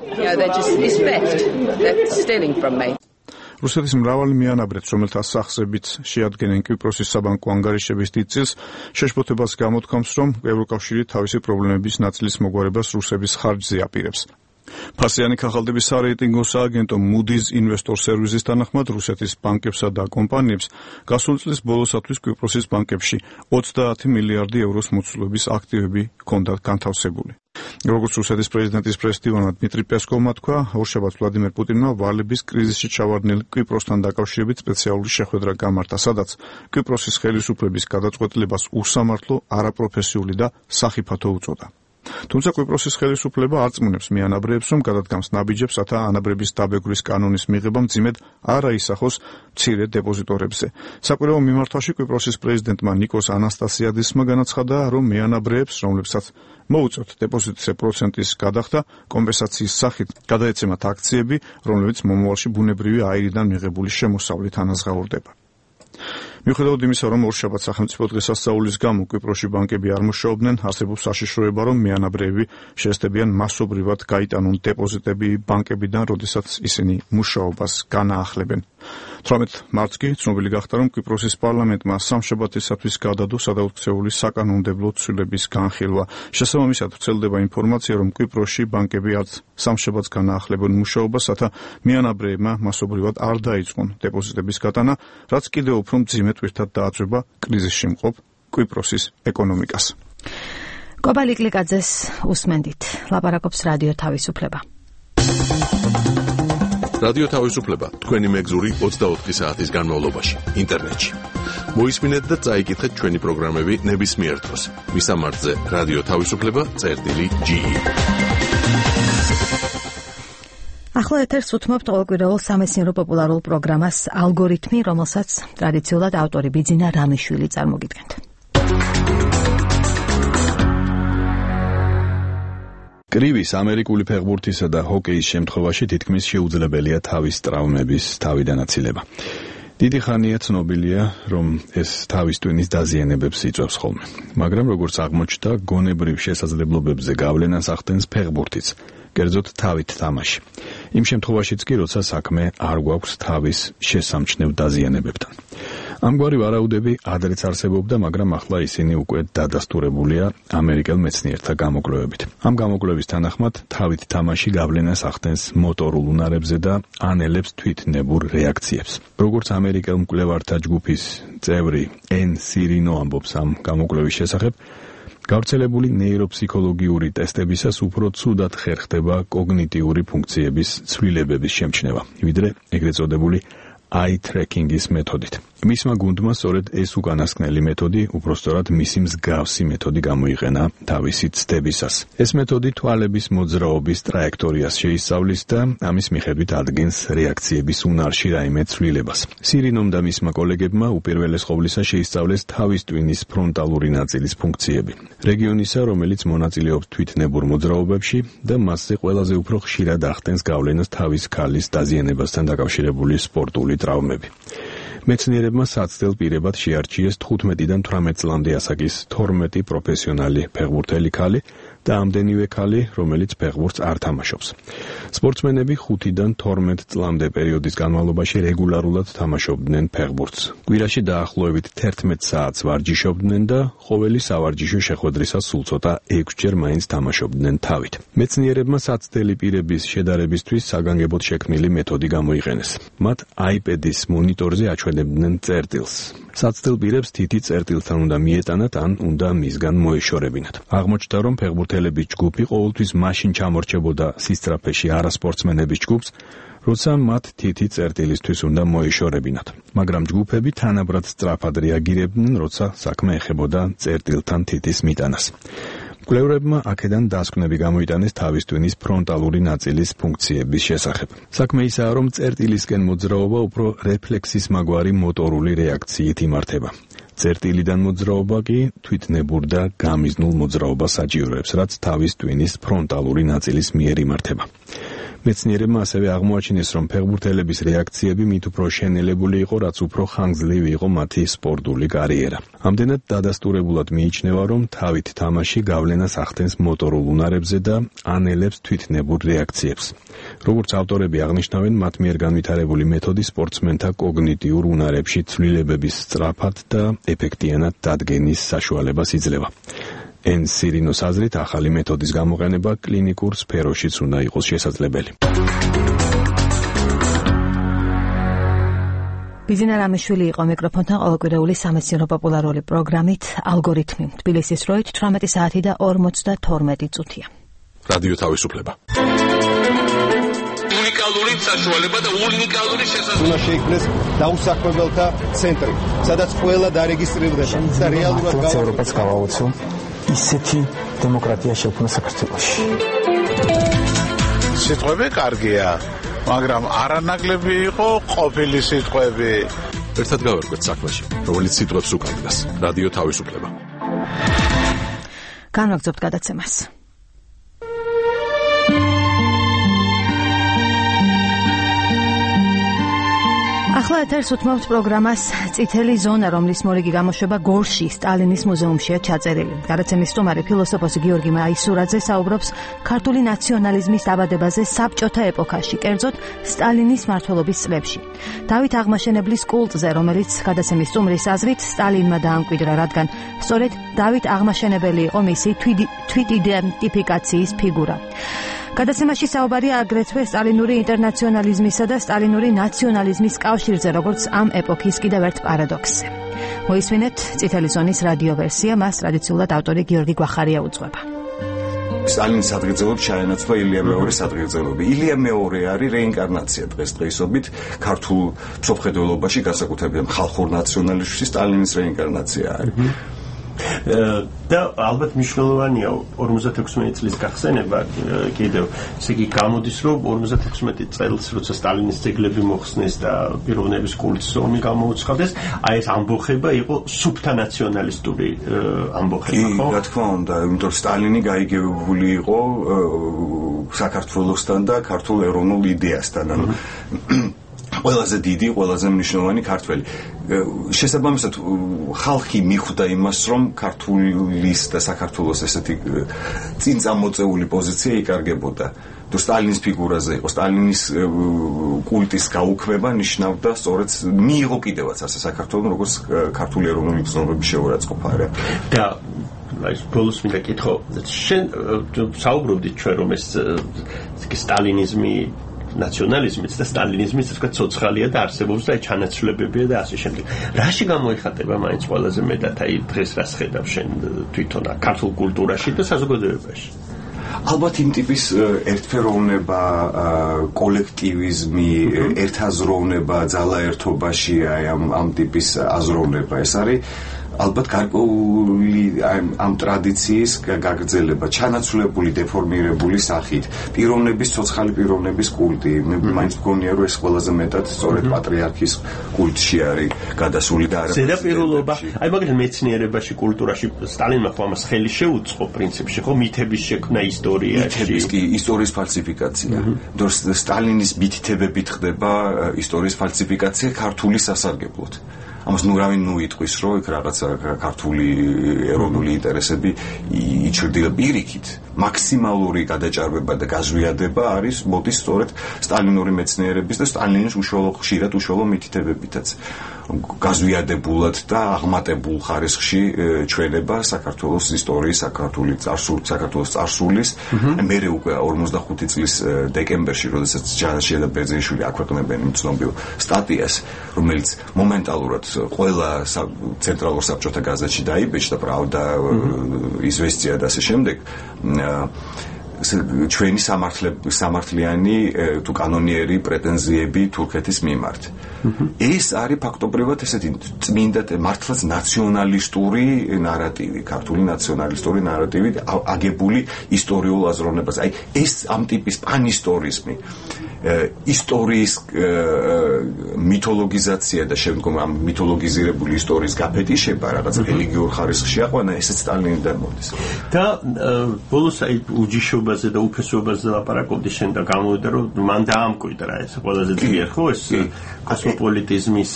Speaker 3: რუსეთის მრავალი მეანაბრეც, რომელთა სახსებით შეადგენენ კვიპროსის საბანკო ანგარიშების დიდ წილს, შეშფოთებას გამოთქვამს, რომ ევროკავშირი თავისი პრობლემების ნაწილის მოგვარებას რუსების ხარჯზე აპირებს. ფასიანი ქაღალდების სარეიტინგო სააგენტო Moody's ინვესტორ სერვისის თანახმად რუსეთის ბანკებსა და კომპანიებს გასული წლის ბოლოსათვის კვიპროსის ბანკებში 30 მილიარდი ევროს მოცულობის აქტივები ჰქონდათ განთავსებული. როგორც რუსეთის პრეზიდენტის პრესდივანა დმიტრი პესკოვმა თქვა, ორშაბათს ვლადიმერ პუტინმა ვალების კრიზისში ჩავარდნილ კვიპროსთან დაკავშირებით სპეციალური შეხვედრა გამართა, სადაც კვიპროსის ხელისუფლების გადაწყვეტილებას უსამართლო, არაპროფესიული და სახიფათო უწოდა. თუმცა კვიპროსის ხელისუფლება არწმუნებს მეანაბრეებს, რომ გადადგამს ნაბიჯებს, რათა ანაბრების დაბეგრის კანონის მიღება მძიმედ არ აისახოს მცირე დეპოზიტორებზე. საკვირაო მიმართვაში კვიპროსის პრეზიდენტმა ნიკოს ანასტასიადისმა განაცხადა, რომ მეანაბრეებს, რომლებსაც მოუწევთ დეპოზიტზე პროცენტის გადახდა, კომპენსაციის სახით გადაეცემათ აქციები, რომლებიც მომავალში ბუნებრივი აირიდან მიღებული შემოსავლით ანაზღაურდება. მიუხედავად იმისა, რომ ორშაბათს სახელმწიფო დღესასწაულის გამო კვიპროსში ბანკები არ მუშაობდნენ, არსებობს საშიშროება, რომ მეანაბრეები შესდებიან მასობრივად გაიტანონ დეპოზიტები ბანკებიდან, როდესაც ისინი მუშაობას განაახლებენ. 18 მარტს კი ცნობილი გახდა, რომ კვიპროსის პარლამენტმა სამშაბათისათვის გადადო სადაუქცეული საკანონმდებლო ცვლილების განხილვა. შესაბამისად, ვრცელდება ინფორმაცია, რომ კვიპროსში ბანკები არც სამშაბათს განაახლებენ მუშაობას, რათა მეანაბრეებმა მასობრივად არ დაიწყონ დეპოზიტების გატანა, რაც კიდევ უფრო მძიმე თვირთად დააწვება კრიზისში მყოფ კვიპროსის ეკონომიკას.
Speaker 1: კობალი კლიკაძეს უსმენდით. ლაპარაკობს რადიო თავისუფლება.
Speaker 6: რადიო თავისუფლება თქვენი მეგზური 24 საათის განმავლობაში ინტერნეტში. მოისმინეთ და წაიკითხეთ ჩვენი პროგრამები ნებისმიერ დროს. მისამართზე რადიო თავისუფლება.ge.
Speaker 1: ახლა ეთერს უთმობთ ყოველკვირეულ სამეცნიერო პოპულარულ პროგრამას ალგორითმი, რომელსაც ტრადიციულად ავტორი ბიძინა რამიშვილი წარმოგიდგენთ.
Speaker 3: კრივის ამერიკული ფეხბურთისა და ჰოკეის შემთხვევაში თითქმის შეუძლებელია თავის ტრავმების თავიდან აცილება. დიდი ხანია ცნობილია, რომ ეს თავის ტვინის დაზიანებებს იწვევს ხოლმე. მაგრამ როგორც აღმოჩნდა, გონებრივ შესაძლებლობებზე გავლენას ახდენს ფეხბურთიც, კერძოდ თავით თამაში. იმ შემთხვევაშიც კი, როცა საქმე არ გვაქვს თავის შესამჩნევ დაზიანებებთან. ამგვარი ვარაუდები ადრეც არსებობდა, მაგრამ ახლა ისინი უკვე დადასტურებულია ამერიკელ მეცნიერთა გამოკვლევებით. ამ გამოკვლევის თანახმად, თავით თამაში გავლენას ახდენს მოტორულ უნარებზე და ანელებს თვითნებურ რეაქციებს. როგორც ამერიკელ მკვლევართა ჯგუფის წევრი ენ სირინო ამბობს ამ გამოკვლევის შესახებ, გავრცელებული ნეიროფსიქოლოგიური ტესტებისას უფრო ცუდად ხერხდება კოგნიტიური ფუნქციების ცვლილებების შემჩნევა, ვიდრე ეგრეთ წოდებული eye tracking-ის მეთოდით. მისმა გუნდმა სწორედ ეს უკანასკნელი მეთოდი, უпростоრად მისი მსგავსი მეთოდი გამოიყენა თავისი ცდებისას. ეს მეთოდი თვალების მოძრაობის ტრაექტორიას შეისწავლის და ამის მიხედვით ადგენს რეაქციების უნარში რაიმე ცვლილებას. სირინომ და მისმა კოლეგებმა უპირველეს ყოვლისა შეისწავლეს თავის ტვინის ფრონტალური ნაწილის ფუნქციები, რეგიონისა, რომელიც მონაწილეობს თვითნებურ მოძრაობებში და მასზე ყველაზე უფრო ხშირად ახდენს გავლენას თავის ქალის დაზიანებასთან დაკავშირებული სპორტული ტრავმები. მეცნიერებმა საცდელ პირებად შეარჩიეს 15-დან 18 წლამდე ასაკის 12 პროფესიონალი ფეხბურთელი ქალი და ამდენივე ქალი, რომელიც ფეხბურთს არ თამაშობს. სპორტსმენები 5-დან 12 წლამდე პერიოდის განმავლობაში რეგულარულად თამაშობდნენ ფეხბურთს. კვირაში დაახლოებით 11 საათს ვარჯიშობდნენ და ყოველი სავარჯიშო შეხვედრისას სულ ცოტა 6-ჯერ მაინც თამაშობდნენ თავით. მეცნიერებმა საცდელი პირების შედარებისთვის საგანგებოდ შექმნილი მეთოდი გამოიყენეს. მათ iPad-ის მონიტორზე აჩვენებდნენ წერტილს. საცდელ პირებს თითი წერტილთან უნდა მიეტანათ ან უნდა მისგან მოეშორებინათ. აღმოჩნდა, რომ ფეხბურთელების ჯგუფი ყოველთვის მაშინ ჩამორჩებოდა სისწრაფეში არასპორტსმენების ჯგუფს, როცა მათ თითი წერტილისთვის უნდა მოეშორებინათ. მაგრამ ჯგუფები თანაბრად სწრაფად რეაგირებდნენ, როცა საქმე ეხებოდა წერტილთან თითის მიტანას. მკვლევრებმა აქედან დასკვნები გამოიტანეს თავის ტვინის ფრონტალური ნაწილის ფუნქციების შესახებ. საქმე ისაა, რომ წერტილისკენ მოძრაობა უფრო რეფლექსის მაგვარი მოტორული რეაქციით იმართება. წერტილიდან მოძრაობა კი თვითნებურ და გამიზნულ მოძრაობას საჭიროებს, რაც თავის ტვინის ფრონტალური ნაწილის მიერ იმართება. მეცნიერებმა ასევე აღმოაჩინეს, რომ ფეხბურთელების რეაქციები მით უფრო შენელებული იყო, რაც უფრო ხანგრძლივი იყო მათი სპორტული კარიერა. ამდენად დადასტურებულად მიიჩნევა, რომ თავით თამაში გავლენას ახდენს მოტორულ უნარებზე და ანელებს თვითნებურ რეაქციებს. როგორც ავტორები აღნიშნავენ, მათ მიერ განვითარებული მეთოდი სპორტსმენთა კოგნიტიურ უნარებში ცვლილებების სწრაფად და ეფექტიანად დადგენის საშუალებას იძლევა. ენ სირინოს აზრით, ახალი მეთოდის გამოყენება კლინიკურ სფეროშიც უნდა იყოს შესაძლებელი.
Speaker 1: ბიძინა რამიშვილი იყო მიკროფონთან ყოველკვირეული სამეცნიერო პოპულარული პროგრამით ალგორითმი. თბილისის დროით 18 საათი და 42 წუთია.
Speaker 6: რადიო თავისუფლება.
Speaker 10: უნიკალური საშუალება და უნიკალური შესაძლებლობა.
Speaker 12: უნდა შეიქმნეს დაუსაქმებელთა ცენტრი, სადაც ყველა დარეგისტრირდება და რეალურად
Speaker 23: ევროპას გავაოცო ისეთი დემოკრატია შექმნა საქართველოში.
Speaker 10: სიტყვები კარგია, მაგრამ არანაკლები იყო ყოფილი სიტყვები.
Speaker 6: ერთად გავერკვეთ საქმეში, რომელიც სიტყვებს უკანდგას. რადიო თავისუფლება.
Speaker 1: განვაგრძობთ გადაცემას. ახლა ეთერს უთმობთ პროგრამას წითელი ზონა, რომლის მორიგი გამოშვება გორში, სტალინის მუზეუმშია ჩაწერილი. გადაცემის სტუმარი ფილოსოფოსი გიორგი მაისურაძე საუბრობს ქართული ნაციონალიზმის დაბადებაზე საბჭოთა ეპოქაში, კერძოდ სტალინის მმართველობის წლებში. დავით აღმაშენებლის კულტზე, რომელიც გადაცემის სტუმრის აზრით სტალინმა დაამკვიდრა, რადგან სწორედ დავით აღმაშენებელი იყო მისი თვითიდენტიფიკაციის ფიგურა. გადაცემაში საუბარია აგრეთვე სტალინური ინტერნაციონალიზმისა და სტალინური ნაციონალიზმის კავშირზე, როგორც ამ ეპოქის კიდევ ერთ პარადოქსზე. მოისმინეთ წითელი ზონის რადიო ვერსია, მას ტრადიციულად ავტორი გიორგი გვახარია უძღვება.
Speaker 8: სტალინის ადგილზეულობ ჩაენაცვლა ილია მეორის ადგილზეულობი. ილია მეორე არის რეინკარნაცია დღესდღეობით ქართულ მსოფლმხედველობაში, განსაკუთრებით ხალხურ ნაციონალიზმში სტალინის რეინკარნაცია არის.
Speaker 13: და ალბათ მნიშვნელოვანია 56 წლის გახსენება კიდევ ესე იგი გამოდის რომ 56 წელს როცა სტალინის ძეგლები მოხსნეს და პიროვნების კულტის ომი გამოუცხადეს აი ეს ამბოხება იყო სუფთა ნაციონალისტური ამბოხება ხო?
Speaker 8: რა თქმა უნდა, იმიტომ რომ სტალინი გაიგებული იყო საქართველოსთან და ქართულ ეროვნულ იდეასთან, ანუ ყველაზე დიდი, ყველაზე მნიშვნელოვანი ქართველი. შესაბამისად ხალხი მიხვდა იმას, რომ ქართულის და საქართველოს ესეთი წინ წამოწეული პოზიცია იკარგებოდა. თუ სტალინის ფიგურაზე იყო, სტალინის კულტის გაუქმება ნიშნავდა სწორედ მიიღო კიდევაც ასე საქართველოს როგორც ქართული ეროვნული გზნობების შეურაცხყოფა რა.
Speaker 13: და აი ბოლოს მინდა კითხო, შენ საუბრობდით ჩვენ რომ ეს სტალინიზმი ნაციონალიზმიც და სტალინიზმიც თქვა ცოცხალია და არსებობს და ჩანაცვლებებია და ასე შემდეგ. რაში გამოიხატება მაინც ყველაზე მეტად აი დღეს რას ხედავ შენ თვითონ ქართულ კულტურაში და საზოგადოებაში?
Speaker 8: ალბათ იმ ტიპის ერთფეროვნება, კოლექტივიზმი, ერთაზროვნება ძალაერთობაში, აი ამ ტიპის აზროვნება ეს არის ალბათ გარკვეული ამ ტრადიციის გაგრძელება, ჩანაცვლებული, დეფორმირებული სახით, პიროვნების, ცოცხალი პიროვნების კულტი. მე მაინც მგონია, რომ ეს ყველაზე მეტად სწორედ პატრიარქის კულტში არის გადასული და არა
Speaker 13: ზედაპირულობა. აი მაგალითად მეცნიერებაში, კულტურაში სტალინმა ხო ამას ხელი შეუწყო პრინციპში, ხო მითების შექმნა ისტორიაში.
Speaker 8: მითების კი ისტორიის ფალსიფიკაცია. იმიტომ სტალინის მითითებებით ხდება ისტორიის ფალსიფიკაცია ქართული სასარგებლოდ. ამას ნურავინ იტყვის, რომ იქ რაღაცა ქართული ეროვნული ინტერესები იჩრდილა პირიქით. მაქსიმალური გადაჭარბება და გაზვიადება არის მოდის სწორედ სტალინური მეცნიერების და სტალინის ხშირად უშუალო მითითებებითაც. გაზვიადებულად და აღმატებულ ხარისხში ჩვენება საქართველოს ისტორიის, საქართველოს წარსულის. მერე უკვე 45 წლის დეკემბერში, როდესაც ჯანაშია და ბერძენიშვილი აქვეყნებენ იმ ცნობილ სტატიას, რომელიც მომენტალურად ყველა ცენტრალურ საბჭოთა გაზეთში დაიბეჭდა, პრავდა, იზვესტია და ასე შემდეგ. ჩვენი სამართლიანი თუ კანონიერი პრეტენზიები თურქეთის მიმართ. ეს არის ფაქტობრივად ესეთი წმინდა მართლაც ნაციონალისტური ნარატივი, ქართული ნაციონალისტური ნარატივი აგებული ისტორიულ აზროვნებას. აი ეს ამ ტიპის პანისტორიზმი, ისტორიის მითოლოგიზაცია და შემდგომ ამ მითოლოგიზირებული ისტორიის გაფეტიშება რაღაც რელიგიურ ხარისხში აყვანა, ესეც სტალინიდან მოდის.
Speaker 13: და ბოლოს აი უჯიშობაზე და უფესობაზე ლაპარაკობდი შენ და გამოვიდა რომ მან დაამკვიდრა ეს ყველაზე ძლიერ ხო ეს კოსმოპოლიტიზმის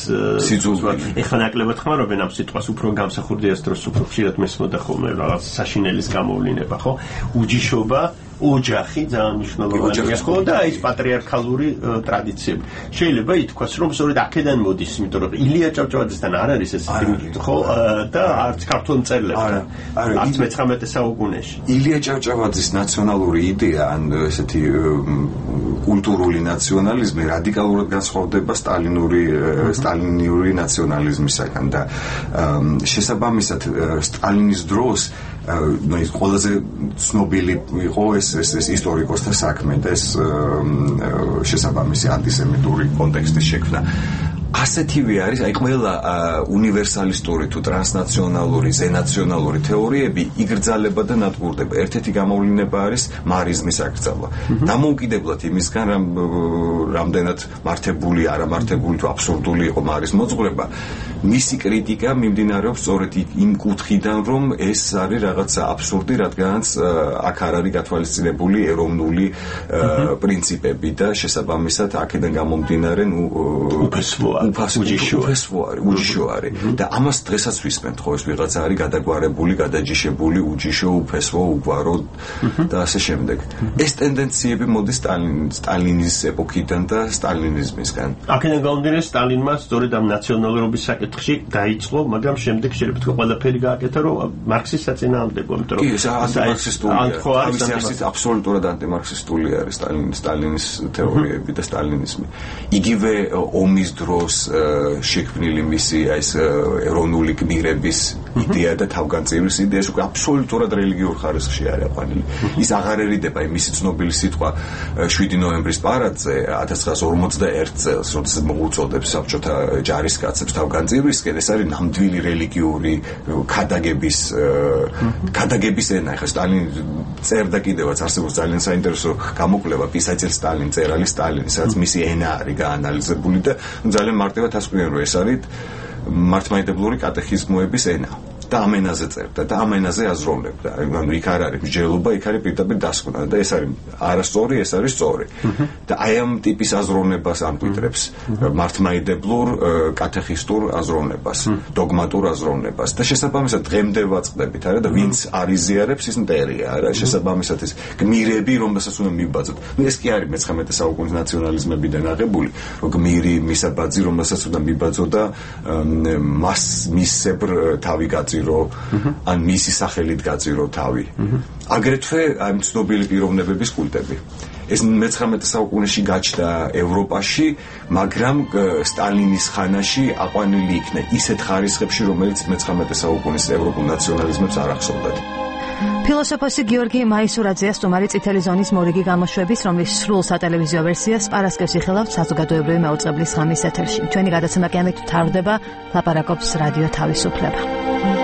Speaker 13: სიძულველი. ეხლა ნაკლებად ხმარობენ ამ სიტყვას, უფრო გამსახურდია ეს დროს უფრო ხშირად მესმოდა ხოლმე რაღაც საშინელის გამოვლინება ხო? უჯიშობა ოჯახი ძალიან მნიშვნელოვანია ხო და ის პატრიარქალური ტრადიციები. შეიძლება ითქვას რომ სწორედ აქედან მოდის, იმიტომ რომ ილია ჭავჭავაძესთან არ არის ესეთი ხო და არც ქართულ მწერლებთან. არც მე-19 საუკუნეში.
Speaker 8: ილია ჭავჭავაძის ნაციონალური იდეა ან ესეთი კულტურული ნაციონალიზმი რადიკალურად განსხვავდება სტალინური ნაციონალიზმისაგან და შესაბამისად სტალინის დროს ის ყველაზე ცნობილი იყო ეს ისტორიკოსთა საქმე და ეს შესაბამისი ანტისემიტური კონტექსტის შექმნა. ასეთივე არის, აი ყველა უნივერსალისტური თუ ტრანსნაციონალური, ზენაციონალური თეორიები იგრძალება და ნადგურდება. ერთ-ერთი გამოვლინება არის მარიზმის აკრძალვა. დამოუკიდებლად იმისგან, რამდენად მართებული, არამართებული თუ აბსურდული იყო მარის მოძღვრება, მისი კრიტიკა მიმდინარეობს სწორედ იმ კუთხიდან, რომ ეს არის რაღაცა აბსურდი, რადგანაც აქ არ არის გათვალისწინებული ეროვნული პრინციპები და შესაბამისად აქედან გამომდინარე, უჯიშო არის და ამას დღესაც ვისმენთ ხო ეს ვიღაცა არის გადაგვარებული, გადაჯიშებული, უჯიშო, უფესო, უგვარო და ასე შემდეგ. ეს ტენდენციები მოდის სტალინის ეპოქიდან და სტალინიზმისგან.
Speaker 13: აქედან გამომდინარე სტალინმა სწორედ ამ ნაციონალურობის საკითხში დაიწყო, მაგრამ შემდეგ შეიძლება თქვა ყველაფერი გააკეთა, რომ მარქსის საწინააღმდეგო, იმიტომ რომ
Speaker 8: ეს ანტიმარქსისტული, აბსოლუტურად ანტიმარქსისტული არის სტალინის თეორიები და სტალინიზმი. იგივე ომის დროს აქვს შექმნილი მისი ეს ეროვნული გმირების იდეა და თავგანწირის იდეა უკვე აბსოლუტურად რელიგიურ ხარისხში არის აყვანილი. ის აღარერიდება მისი ცნობილი სიტყვა 7 ნოემბრის პარადზე 1941 წელს, როდესაც მოუწოდებს საბჭოთა ჯარისკაცებს თავგანწირვისკენ, ეს არის ნამდვილი რელიგიური ქადაგების ენა. ხა სტალინი წერდა კიდევაც არსებობს ძალიან საინტერესო გამოკვლევა პისაჩელ სტალინ წერალი სტალინის, რაც მისი ენა არის გაანალიზებული და ძალიან მარტივად ასკვნიან, რომ ეს არის მართლმადიდებლური კატეხიზმოების ენა. და ამ ენაზე წერდა და ამ ენაზე აზროვნებდა. ანუ იქ არ არის მსჯელობა, იქ არის პირდაპირ დასკვნა და ეს არის არასწორი, ეს არის სწორი. და აი ამ ტიპის აზროვნებას ამკვიდრებს მართლმადიდებლურ კატეხისტურ აზროვნებას, დოგმატურ აზროვნებას და შესაბამისად დღემდე ვაწყდებით, არა და ვინც არიზიარებს ის მტერია, არა, შესაბამისად ეს გმირები, რომელსაც უნდა მიბაძოთ. ნუ ეს კი არის მე-19 საუკუნის ნაციონალიზმებიდან აღებული, რომ გმირი მისაბაძი, რომელსაც უნდა მიბაძო და მისებრ თავი გაძირო ან მისი სახელით გაძირო თავი. აგრეთვე ამ ცნობილი პიროვნებების კულტები. ეს მე-19 საუკუნეში გაჩნდა ევროპაში, მაგრამ სტალინის ხანაში აყვანილი იქნა ისეთ ხარისხებში, რომელიც მე-19 საუკუნის ევროპულ ნაციონალიზმებს არ ახსოვდათ.
Speaker 1: ფილოსოფოსი გიორგი მაისურაძეა სტუმარი წითელი ზონის მორიგი გამოშვების, რომლის სრულ სატელევიზიო ვერსიას პარასკევს იხილავთ საზოგადოებრივი მაუწყებლის ღამის ეთერში. ჩვენი გადაცემა კი ამით მთავრდება, ლაპარაკობს რადიო თავისუფლება.